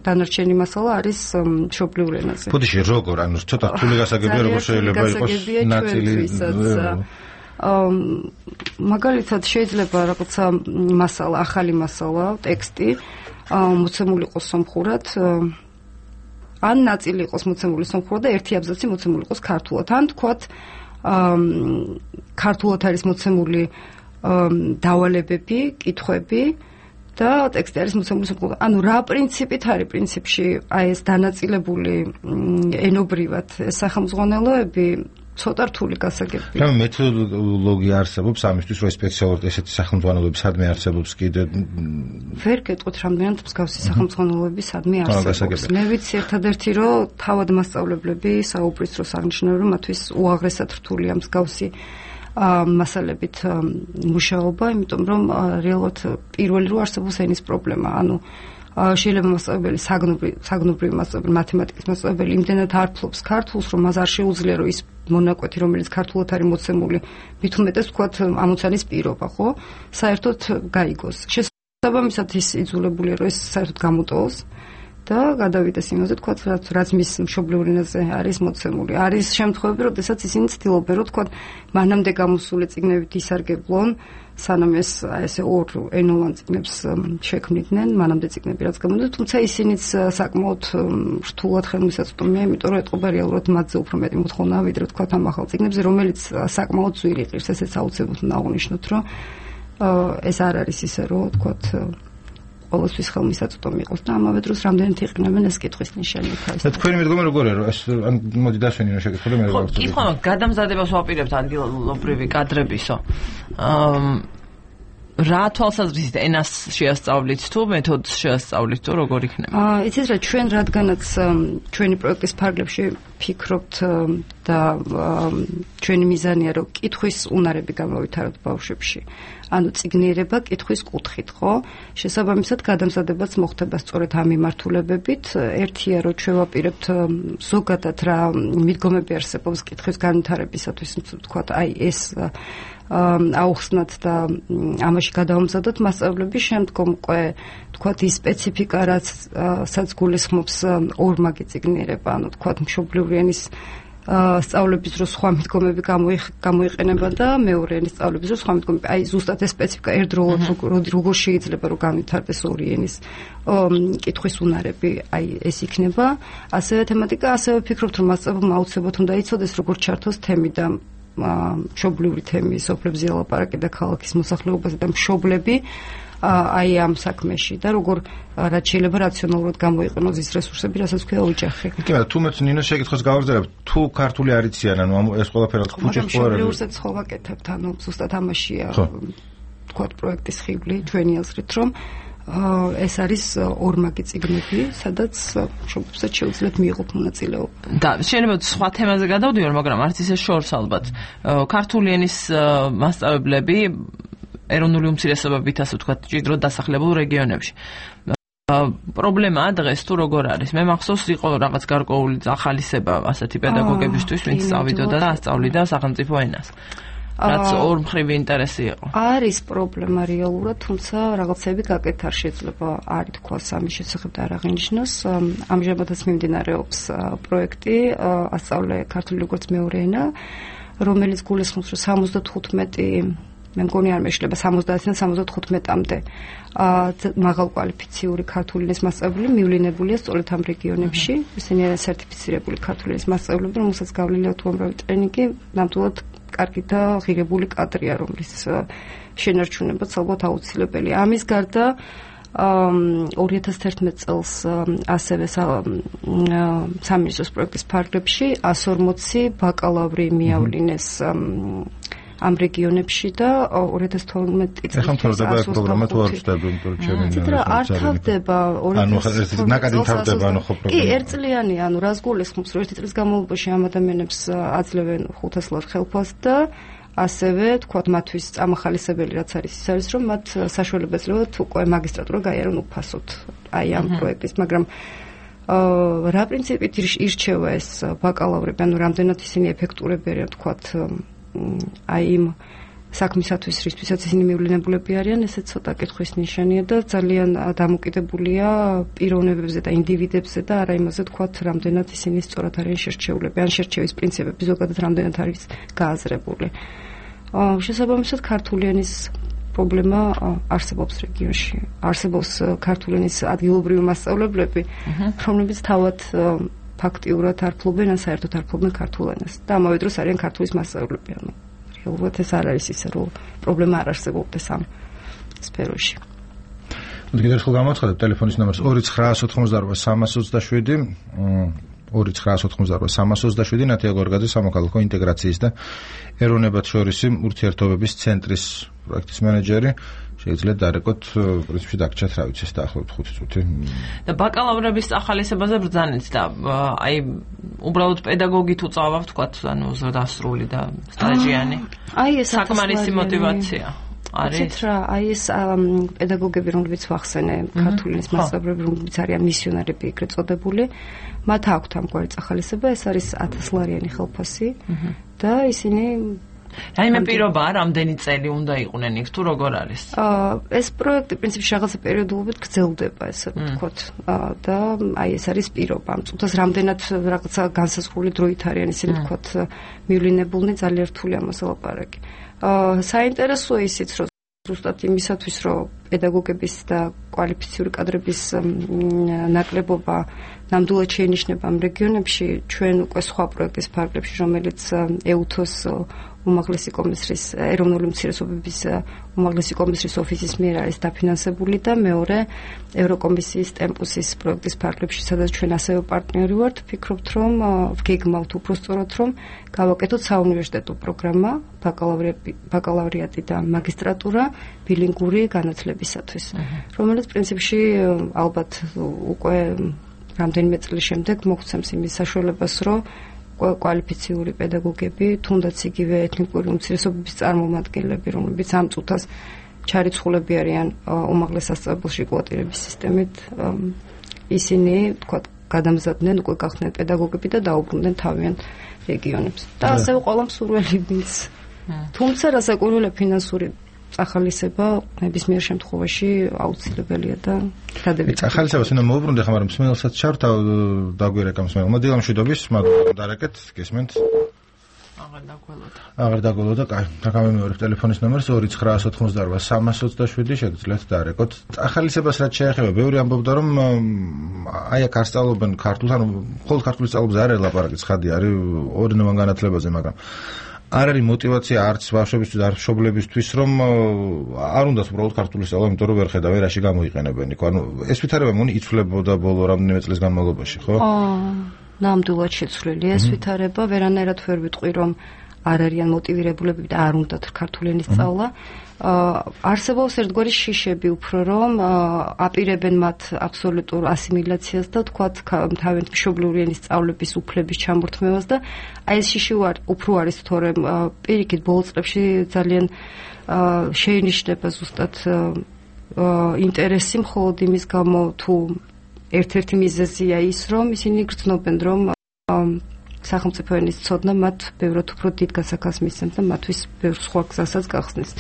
დანარჩენი მასალა არის მშობლიურ ენაზე. ბოდიში როგორ, ანუ ცოტა რთული გასაგებია, როგორ შეიძლება იყოს ნაწილი მაგალითად შეიძლება რაღაცა მასალა, ახალი მასალა, ტექსტი მოცემული იყოს სომხურად, ან ნაწილი იყოს მოცემული სომხურად და ერთი აბზაცი მოცემული იყოს ქართულად. ან თქვათ ქართულად არის მოცემული დავალებები, კითხვები და ტექსტი არის მოცემული სომხურად. ანუ რა პრინციპით არის პრინციპში აი ეს დანაწილებული ენობრივად სახელმძღვანელოები ცოტა რთული გასაგებია. რა მეთოდოლოგია არსებობს ამისთვის, რომ სპეციალურად ესეთი სახელმძღვანელოები სადმე არსებობს კიდე? ვერ გეტყვით რამდენად მსგავსი სახელმძღვანელოები სადმე არსებობს. მე ვიცი ერთადერთი, რომ თავად მასწავლებლები საუბრის დროს აღნიშნავენ, რომ მათთვის უაღრესად რთულია მსგავსი მასალებით მუშაობა, იმიტომ რომ რეალურად პირველი რო არსებობს ენის პრობლემა, ანუ შეიძლება მასწავლებელი საგნობრივი მასწავლებელი, მათემატიკის მასწავლებელი იმდენად არ ფლობს ქართულს, რომ მას არ შეუძლია რომ ის მონაკვეთი, რომელიც ქართულად არის მოცემული, მით უმეტეს ვთქვათ ამოცანის პირობა, ხო? საერთოდ გაიგოს. შესაბამისად ის იძულებულია რომ ეს საერთოდ გამოტოვოს და გადავიდეს იმაზე, თქვათ, რაც მის მშობლიურ ენაზე არის მოცემული. არის შემთხვევები, როდესაც ისინი ცდილობენ, რომ თქვათ, მანამდე გამოსული წიგნებით ისარგებლონ, სანამ ეს ესე ორ ენოვან წიგნებს შექმნიდნენ, მანამდე წიგნები რაც გამოდიოდა, თუმცა ისინიც საკმაოდ რთულად ხელმისაწვდომია, იმიტომ რომ ეტყობა რეალურად მათზე უფრო მეტი მოთხოვნაა, ვიდრე თქვათ ამ ახალ წიგნებზე, რომელიც საკმაოდ ძვირი ყირს, ესეც აუცილებლად უნდა აღვნიშნოთ, რომ ეს არ არის ისე, რომ თქვათ ყოველთვის ხელმისაწვდომი იყოს და ამავე დროს რამდენად იყენებენ ეს კითხვის ნიშანი თავის. და თქვენი მედგომა როგორია, რომ ეს ან მოდი დასვენინო შეკითხვა და მე რა ვთქვი. ხო, გადამზადებას ვაპირებთ ადგილობრივი კადრებისო. აა რა თვალსაზრისით ენას შეასწავლით თუ მეთოდს შეასწავლით თუ როგორ იქნება? აა იცით რა, ჩვენ რადგანაც ჩვენი პროექტის ფარგლებში ფიქრობთ და ჩვენი მიზანია რომ კითხვის უნარები გამოვითაროთ ბავშვებში. ანუ წიგნიერება კითხვის კუთხით, ხო? შესაბამისად გადამზადებაც მოხდება სწორედ ამ მიმართულებებით. ერთია რომ ჩვენ ვაპირებთ ზოგადად რა მიდგომები არსებობს კითხვის განვითარებისათვის, თქვათ, აი ეს აუხსნათ და ამაში გადავამზადოთ მასწავლებლები, შემდგომ უკვე თქვათ ის სპეციფიკა, რაც სადაც გულისხმობს ორმაგი წიგნიერება, ანუ თქვათ მშობლიური ენის სწავლების დროს სხვა მიდგომები გამოიყენება და მეორე ენის სწავლების დროს სხვა მიდგომები. აი ზუსტად ეს სპეციფიკა ერთდროულად როგორ შეიძლება რომ განვითარდეს ორი ენის კითხვის უნარები, აი ეს იქნება. ასევე თემატიკა, ასევე ვფიქრობთ რომ მასწავლებელმა აუცილებლად უნდა იცოდეს როგორ ჩართოს თემი და მშობლიური თემი, სოფლებზე ლაპარაკი და ქალაქის მოსახლეობაზე და მშობლები აი ამ საქმეში და როგორ რაც შეიძლება რაციონალურად გამოიყენოს ის რესურსები, რასაც ქვია ოჯახი. კი, მაგრამ თუ მეც ნინოს შეკითხოს გავაგზავნებ, თუ ქართული არ იციან, ანუ ეს ყველაფერი ხუჭის ხო არა? მშობლიურსაც ხო ვაკეთებთ, ანუ ზუსტად ამაშია თქვათ პროექტის ხიბლი ჩვენი აზრით, რომ ეს არის ორმაგი წიგნები, სადაც მშობლებსაც შეუძლიათ მიიღოთ მონაწილეობა. და შეიძლება სხვა თემაზე გადავდივარ, მაგრამ არც ისე შორს ალბათ. ქართული ენის მასწავლებლები ეროვნული უმცირესობებით, ასე ვთქვათ, ჭიდროდ დასახლებულ რეგიონებში. პრობლემაა დღეს თუ როგორ არის? მე მახსოვს იყო რაღაც გარკვეული ახალისება ასეთი პედაგოგებისთვის, ვინც სწავლიდა და ასწავლიდა სახელმწიფო ენას. რაც ორმხრივი ინტერესი იყო. არის პრობლემა რეალურად, თუმცა რაღაცები გაკეთარ შეიძლება არ ითქვას ამის შესახებ და არ აღინიშნოს. ამჟამადაც მიმდინარეობს პროექტი ასწავლე ქართული როგორც მეორე ენა, რომელიც გულისხმობს, რომ სამოცდათხუთმეტი მე მგონი არ მეშლება სამოცდაათიდან სამოცდათხუთმეტამდე მაღალკვალიფიციური ქართული ენის მასწავლებელი მივლინებულია სწორედ ამ რეგიონებში. ისინი არიან სერტიფიცირებული ქართული ენის მასწავლებლები, რომელსაც გავლილი აქვს უამრავი ტრენინგი, ნამდვილად კარგი და ღირებული კადრია, რომლის შენარჩუნებაც ალბათ აუცილებელია. ამის გარდა ორი ათას თერთმეტ წელს ასევე სამინისტროს პროექტის ფარგლებში εκατს ორმოცი ბაკალავრი მიავლინეს ამ რეგიონებში და ორი ათას თორმეტი წელს ახლა მთავრდება ეს პროგრამა თუ არ ვწდები, იმიტომ რომ ჩემი ნინა არ თავდება ანუ ნაკადი მთავრდება ანუ ხო პროგრამა. კი, ერთწლიანი, ანუ რას გულისხმობს, რომ ერთი წლის განმავლობაში ამ ადამიანებს აძლევენ ხუთას ლარ ხელფასს და ასევე თქვათ მათთვის წამახალისებელი რაც არის ის არის რომ მათ საშუალება ეძლევათ უკვე მაგისტრატურა გაიარონ უფასოდ აი ამ პროექტის, მაგრამ რა პრინციპით ირჩევა ეს ბაკალავრები, ანუ რამდენად ისინი ეფექტურები არიან თქვათ აი იმ საქმისათვის, რისთვისაც ისინი მივლინებულები არიან, ესე ცოტა კითხვის ნიშანია და ძალიან დამოკიდებულია პიროვნებებზე და ინდივიდებზე და არა იმაზე თქვათ, რამდენად ისინი სწორად არიან შერჩეულები, ან შერჩევის პრინციპები ზოგადად რამდენად არის გააზრებული. შესაბამისად, ქართული ენის პრობლემა არსებობს რეგიონში. არსებობს ქართული ენის ადგილობრივი მასწავლებლები, რომლებიც თავად ფაქტიურად არ ფლობენ ან საერთოდ არ ფლობენ ქართულ ენას და ამავე დროს არიან ქართულის მასწავლებლები. ანუ რეალურად ეს არ არის ისე, რომ პრობლემა არ არსებობდეს ამ სფეროში. მოდი კიდევ ერთხელ გამოაცხადებ ტელეფონის ნომერს ორი ცხრაას ოთხმოცდაორვა სამას ოცდაშვიდი ორი ცხრაას ოთხმოცდაორვა სამას ოცდაშვიდი ნათია გორგაძე სამოქალაქო ინტეგრაციის და ეროვნებათშორისი ურთიერთობების ცენტრის პროექტის მენეჯერი. შეიძლება დარეკოთ პრინციპში დაგჭათ რა ვიცი ეს დაახლოებით ხუთი წუთი. და ბაკალავრების ახალისებაზე ბრძანეთ და აი უბრალოდ პედაგოგით უწავავთ თქვათ ანუ ზრდასრული და სტაჟიანი. აი ეს საკმარისი мотиваცია. არის რა, აი ეს პედაგოგები, რომლებიც ვახსენე, ქართული ენის მასწავლებლები, რომლებიც არიან მისიონერები ეგრეთ წოდებული, მათ აქვთ ამგვარი ახალისება, ეს არის ათასლარიანი ხელფასი და ისინი რაიმე პირობაა, რამდენი წელი უნდა იყვნენ იქ თუ როგორ არის? ეს პროექტი პრინციპში რაღაცა პერიოდულობით გრძელდება, ესე ვთქვათ. და აი ეს არის პირობა. ამ წუთას რამდენად რაღაცა განსაზღვრული დროით არიან ისინი ვთქვათ მივლინებულნი, ძალიან რთული ამას ლაპარაკი. საინტერესოა ისიც, რომ ზუსტად იმისათვის, რომ პედაგოგების და კვალიფიციური კადრების ნაკლებობა ნამდვილად შეინიშნება ამ რეგიონებში, ჩვენ უკვე სხვა პროექტის ფარგლებში, რომელიც ეუთოს უმაღლესი კომისრის ეროვნული უმცირესობების უმაღლესი კომისრის ოფისის მიერ არის დაფინანსებული და მეორე ევროკომისიის ტემპუსის პროექტის ფარგლებში, სადაც ჩვენ ასევე პარტნიორი ვართ, ვფიქრობთ, რომ ვგეგმავთ უბრალოდ რომ გავაკეთოთ საუნივერსიტეტო პროგრამა, ბაკალავრიატი და მაგისტრატურა ბილინგური განათლებისათვის, რომელიც პრინციპში ალბათ უკვე რამდენიმე წლის შემდეგ მოგვცემს იმის საშუალებას, რომ კვალიფიციური პედაგოგები, თუნდაც იგივე ეთნიკური უმცირესობების წარმომადგენლები, რომლებიც ამ წუთას ჩარიცხულები არიან უმაღლეს სასწავლებელში კვოტირების სისტემით, ისინი თქვა გადამზადდნენ, უკვე გახდნენ პედაგოგები და დაუბრუნდნენ თავიანთ რეგიონებს. და ასევე ყველა მსურველი ვინც თუმცა რასაკვირველია ფინანსური ახალისება ნებისმიერ შემთხვევაში აუცილებელია და დადებითია. ახალისებას უნდა მოუბრუნდე ხომ არა მსმენელსაც ჩავთ დაგვირეკა მსმენელ. მოდი გამშვიდობის, მაგრამ დარეკეთ, გესმენთ? აღარ დაგველოდა. აღარ დაგველოდა, კაი. დაგამემეორებ ტელეფონის ნომერს ორი ცხრაას ოთხმოცდაორვა სამას ოცდაშვიდი შეგიძლიათ დარეკოთ. ახალისებას რაც შეეხება, ბევრი ამბობდა რომ აი აქ არ სწავლობენ ქართულს, ანუ მხოლოდ ქართულის სწავლებზე არ არის ლაპარაკი, ცხადი არის ორენოვან განათლებაზე, მაგრამ არ არის мотиваცია არც ბავშვებისთვის, არც მშობლებისთვის, რომ არ უნდათ უბრალოდ ქართული სწავლა, იმიტომ რომ ვერ ხედავ რაში გამოიყენებენ იქ. ანუ ეს ვითარება მგონი იცვლებოდა ბოლო რამდენიმე წლის განმავლობაში, ხო? აა, ნამდვილად შეცვლილია ეს ვითარება, ვერანაირად ვერ ვიტყვი, რომ არ არიან მოტივირებულები და არ უნდათ ქართული ენის სწავლა. არსებობს ერთგვარი შიშები უფრო, რომ აპირებენ მათ აბსოლუტურ ასიმილაციას და თქვათ თავიანთ მშობლიური ენის სწავლების უფლების ჩამორთმევას და აი ეს შიში უფრო არის თორემ პირიქით ბოლო წლებში ძალიან შეინიშნება ზუსტად ინტერესი მხოლოდ იმის გამო თუ ერთ-ერთი მიზეზია ის, რომ ისინი გრძნობენ, რომ სახელმწიფო ენის ცოდნა მათ ბევრად უფრო დიდ გასახას მისცემს და მათთვის ბევრ სხვა გზასაც გახსნის.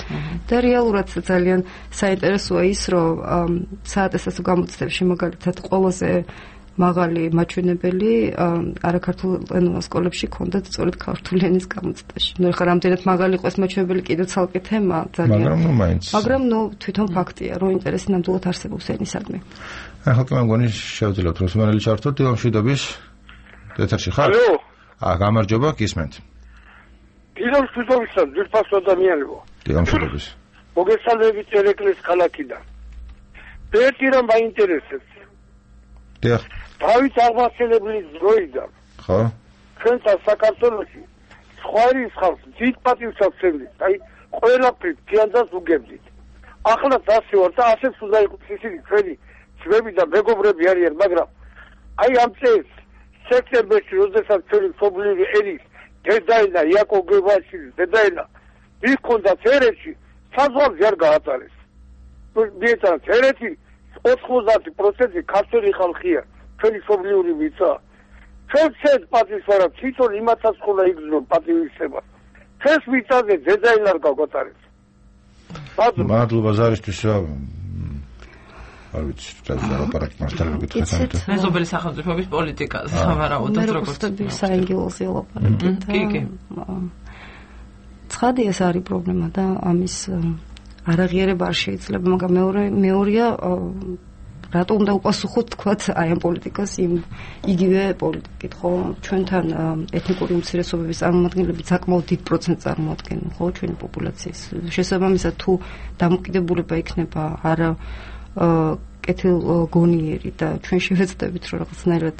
და რეალურად ძალიან საინტერესოა ის, რომ საატესტატო გამოცდებში მაგალითად ყველაზე მაღალი მაჩვენებელი არაქართულ ენოვან სკოლებში ქონდათ სწორედ ქართული ენის გამოცდაში. ნუ ხა რამდენად მაღალი იყოს მაჩვენებელი კიდევ ცალკე თემა ძალიან. მაგრამ ნუ მაინც. მაგრამ ნუ თვითონ ფაქტია, რომ ინტერესი ნამდვილად არსებობს ენისადმი. ახლა კი მგონი შევძლებთ რომ სმენელი ჩართოთ დილომშვიდობის ეთერში ხარ? ალო. აა გამარჯობა, გისმენთ. დილომშვიდობისა ძირფას ადამიანებო. დილომშვიდობის. მოგესალმებით ერეკლეს ქალაქიდან. ერთი რამ მაინტერესებს. დიახ. დავით აღმასელებლის დროიდან. ხო? ჩვენთან საქართველოში სხვა ის ხალხს დიდ პატივს აქცევდით. აი ყველაფრით თიანძას უგებდით. ახლა ასე ვარ და ასეც უნდა იყოს ისინი ჩვენი ძმები და მეგობრები არიან, მაგრამ აი ამ წელს სექტემბერში როდესაც ჩვენი მშობლიური ენის დედაენა იაკობ გებაშვილის დედაენა ის ქონდა თერეთში საზღვარზე არ გაატარეს. მიეცა თერეთი ოთხმოცდაათი პროცენტი ქართველი ხალხია, ჩვენი მშობლიური მიწა. ჩვენ ცეთ პატივს ვარ, თვითონ იმათაც ხოლმე იგრძნო პატივისცემა. ჩვენს მიწაზე დედაენა არ გაგვატარეს. მადლობა ზარისთვის. არ ვიცი, რა ლაპარაკი მასთან გითხეთ. მეზობელი სახელმწიფოების პოლიტიკაზე სავარაუდოდ როგორც საინგილოზე ლაპარაკი. კი, კი. ცხადია ეს არის პრობლემა და ამის არაღიარება არ შეიძლება, მაგრამ მეორე მეორეა რატო უნდა უპასუხოთ თქვათ აი ამ პოლიტიკას იმ იგივე პოლიტიკით, ხო? ჩვენთან ეთნიკური უმცირესობების წარმომადგენლები საკმაოდ დიდ პროცენტს წარმოადგენენ, ხო, ჩვენი პოპულაციის. შესაბამისად თუ დამოკიდებულება იქნება არა კეთილგონიერი და ჩვენ შევეცდებით რომ რაღაცნაირად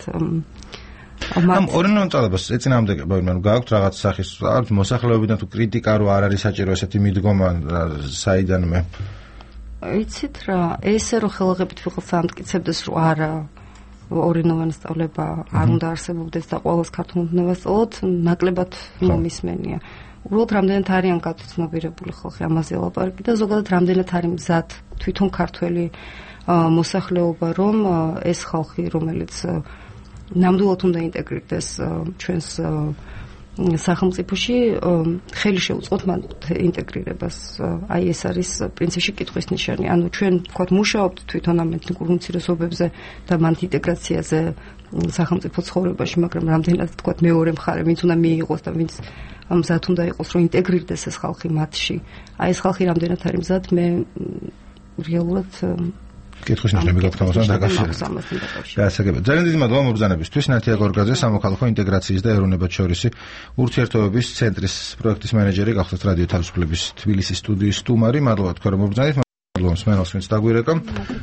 ამ ორნონ წალებას ეწინააღმდეგება ვინმე გააქვთ რაღაც სახის არც მოსახლეობიდან თუ კრიტიკა რო არ არის საჭირო ესეთი მიდგომა საიდანმე იცით რა ესე რომ ხელაღებით ვიღაც ამტკიცებდეს რომ არა ორინოვანი სწავლება არ უნდა არსებობდეს და ყოველს ქართულ უნივერსიტეტს სწავლოთ ნაკლებად მომისმენია უბრალოდ რამდენად არიან გაცნობიერებული ხალხი ამაზე ლაპარაკი და ზოგადად რამდენად არის მზად თვითონ ქართველი მოსახლეობა რომ ეს ხალხი რომელიც ნამდვილად უნდა ინტეგრირდეს ჩვენს სახელმწიფოში ხელი შეუწყოთ მან ინტეგრირებას აი ეს არის პრინციპში კითხვის ნიშანი ანუ ჩვენ ვთქვათ მუშაობთ თვითონ ამ ეთნიკურ უმცირესობებზე და მან ინტეგრაციაზე სახელმწიფო ცხოვრებაში მაგრამ რამდენად ვთქვათ მეორე მხარე ვინც უნდა მიიღოს და ვინც მზად უნდა იყოს რომ ინტეგრირდეს ეს ხალხი მათში აი ეს ხალხი რამდენად არის მზად მე რეალურად კითხვის ნიშნები გაქვთ დაკავშირებით. გასაგებია. ძალიან დიდი მადლობა მობრძანებისთვის. ნათია გორგაძე, სამოქალაქო ინტეგრაციის და ეროვნებათშორისი ურთიერთობების ცენტრის პროექტის მენეჯერი, გახდათ რადიო თავისუფლების თბილისის სტუდიის სტუმარი. მადლობა თქვენ რომ მობრძანეთ. მადლობა მსმენელს, ვინც დაგვირეკა.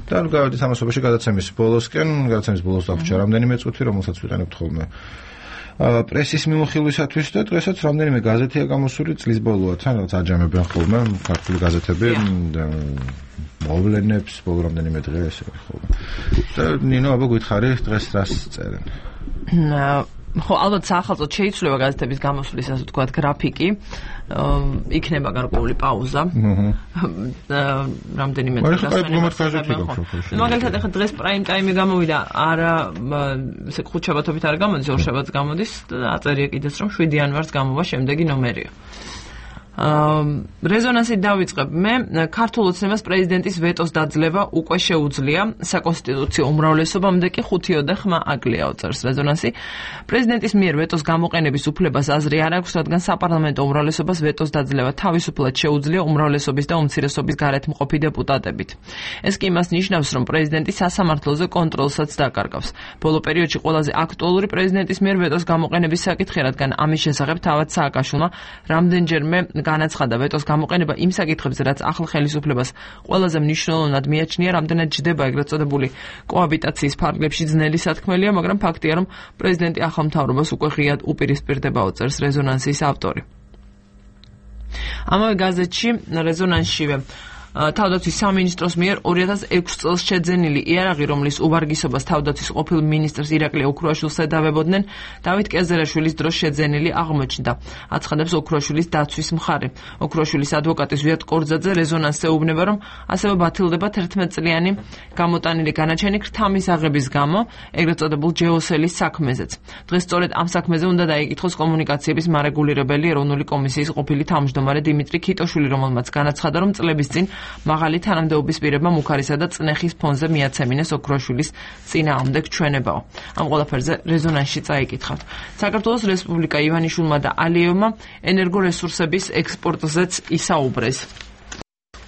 და ნუ გავედით ამასობაში გადაცემის ბოლოსკენ. გადაცემის ბოლოს დაგვჭირა რამდენიმე წუთი, რომელსაც ვიყენებთ ხოლმე. პრესის მიმოხილვისათვის და დღესაც რამდენიმე გაზეთია გამოსული წლის ბოლოა თან რაღაც აჯამებენ ხოლმე ქართული გაზეთები და მოვლენებს ბოლო რამდენიმე დღე ესე ხოლმე და ნინო აბა გითხარი დღეს რას წერენ ხო ალბათ საახალწოდ შეიცვლება გაზეთების გამოსulis ასე ვთქვათ გრაფიკი იქნება გარკვეული პაუზა რამდენიმე დღეს მაგალითად ახლა დღეს პრაიმ ტაიმი გამოვიდა არა ესე ხუთშაბათობით არ გამოდის ორშაბათს გამოდის აწერია კიდეც რომ შვიდი იანვარს გამოვა შემდეგი ნომერია რეზონანსით დავიწყებ მე ქართულ ოცნებას პრეზიდენტის ვეტოს დაძლევა უკვე შეუძლია საკონსტიტუციო უმრავლესობამდე კი ხუთი ოდე ხმა აკლია წერს რეზონანსი პრეზიდენტის მიერ ვეტოს გამოყენების უფლებას აზრი არ აქვს რადგან საპარლამენტო უმრავლესობას ვეტოს დაძლევა თავისუფლად შეუძლია უმრავლესობის და უმცირესობის გარეთ მყოფი დეპუტატებით ეს კი იმას ნიშნავს რომ პრეზიდენტი სასამართლოზე კონტროლსაც დაკარგავს ბოლო პერიოდში ყველაზე აქტუალური პრეზიდენტის მიერ ვეტოს გამოყენების საკითხი რადგან ამის შესახებ თავად სააკაშვილმა რამდენჯერმე განაცხადა ვეტოს გამოყენება იმ საკითხებზე, რაც ახალ ხელისუფლებას ყველაზე მნიშვნელოვნად მიაჩნია, რამდენად ჯდება ეგრეთ წოდებული კოაბიტაციის ფარგლებში ძნელი სათქმელია, მაგრამ ფაქტია, რომ პრეზიდენტი ახალ მთავრობას უკვე ღიად უპირისპირდება უწერს რეზონანსის ავტორი. ამავე გაზეთში რეზონანსშივე თავდაცვის სამინისტროს მიერ ორი ათას ექვსი წელს შეძენილი იარაღი, რომლის უვარგისობას თავდაცვის ყოფილ მინისტრს ირაკლი ოქრუაშვილს ედავებოდნენ, დავით კეზერაშვილის დროს შეძენილი აღმოჩნდა. აცხადებს ოქრუაშვილის დაცვის მხარე. ოქრუაშვილის ადვოკატი ზვიად კორძაძე რეზონანსზე ეუბნება, რომ ასევე ბათილდება თერთმეტწლიანი გამოტანილი განაჩენი ქრთამის აღების გამო, ეგრეთ წოდებულ ჯეოსელის საქმეზეც. დღეს სწორედ ამ საქმეზე უნდა დაიკითხოს კომუნიკაციების მარეგულირებელი ეროვნული კომისიის ყოფილი თავმჯდომარე დიმიტრი ქიტოშვილი, რომელმაც განაცხადა, რომ წლების წინ მაღალი თანამდებობის პირებმა მუქარისა და წნეხის ფონზე მიაცემინეს ოქრუაშვილის წინააღმდეგ ჩვენებაო. ამ ყველაფერზე რეზონანსში წაიკითხავთ. საქართველოს რესპუბლიკა ივანიშვილმა და ალიევმა ენერგორესურსების ექსპორტზეც ისაუბრეს.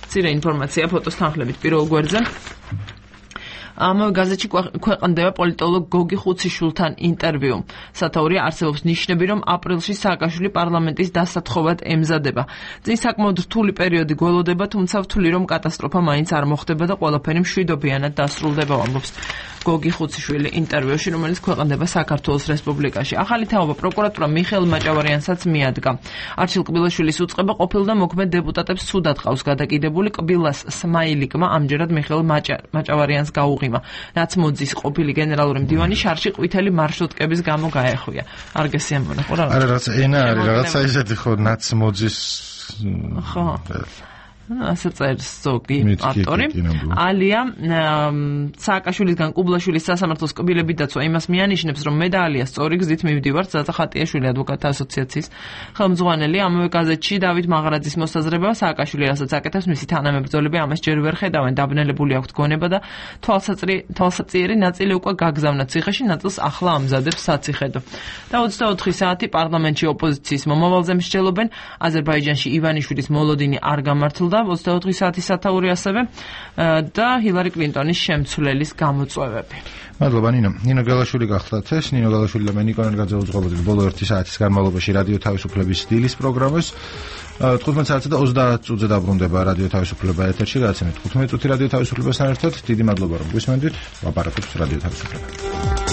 მცირე ინფორმაცია ფოტოს თანხლებით პირველ გვერდზე. ამავე გაზეთში ქვეყნდება პოლიტოლოგ გოგი ხუციშვილთან ინტერვიუ. სათაურია არსებობს ნიშნები, რომ აპრილში სააკაშვილი პარლამენტის დასათხოვად ემზადება. წინ საკმაოდ რთული პერიოდი გველოდება, თუმცა ვთვლი, რომ კატასტროფა მაინც არ მოხდება და ყველაფერი მშვიდობიანად დასრულდება, ამბობს გოგი ხუციშვილი ინტერვიუში, რომელიც ქვეყნდება საქართველოს რესპუბლიკაში. ახალი თაობა პროკურატურა მიხეილ მაჭავარიანსაც მიადგა. არჩილ კბილაშვილის უწყება ყოფილ და მოქმედ დეპუტატებს სუდად ყავს გადაკიდებული. კბილას სმაილიკმა ამჯერად მიხეილ მაჭავარიანს გაუღიმა, რაც მოძის ყოფილი გენერალური მდივანი შარში ყვითელი მარშრუტკების გამო გაეხვია. არ გესიამონა ხო რა? არა, რაღაც ენა არის, რაღაცა ისეთი ხო, რაც მოძის ხო. ასე წერს ზოგი ავტორი. ალია სააკაშვილისგან კუბლაშვილის სასამართლოს კბილებით დაცვა იმას მიანიშნებს, რომ მე და ალია სწორი გზით მივდივართ. ზაზა ხატიაშვილი ადვოკატთა ასოციაციის ხელმძღვანელი. ამავე გაზეთში დავით მაღარაძის მოსაზრება, სააკაშვილი რასაც აკეთებს, მისი თანამებრძოლები ამას ჯერ ვერ ხედავენ. დაბნელებული აქვთ გონება და თვალსაწიერი ნაწილი უკვე გაგზავნა ციხეში, ნაწილს ახლა ამზადებს საციხედო. და ოცდაოთხი საათი პარლამენტში ოპოზიციის მომავალზე მსჯელობენ. აზერბაიჯანში ივანიშვილის მოლოდინი არ გამართლდა. ოცდაოთხი საათი სათაური ასევე და ჰილარი კლინტონის შემცვლელის გამოწვევები. მადლობა ნინო. ნინო გელაშვილი გახლდათ ეს. ნინო გელაშვილი და მე ნიკო ნელგაძე უძღვებოდი ბოლო ერთი საათის განმავლობაში რადიო თავისუფლების დილის პროგრამას. თხუთმეტ საათსა და ოცდაათ წუთზე დაბრუნდება რადიო თავისუფლება ეთერში. გადაცემით თხუთმეტ წუთი რადიო თავისუფლებასთან ერთად. დიდი მადლობა რომ გვისმენდით. ვაპარაკებთ რადიო თავისუფლებას.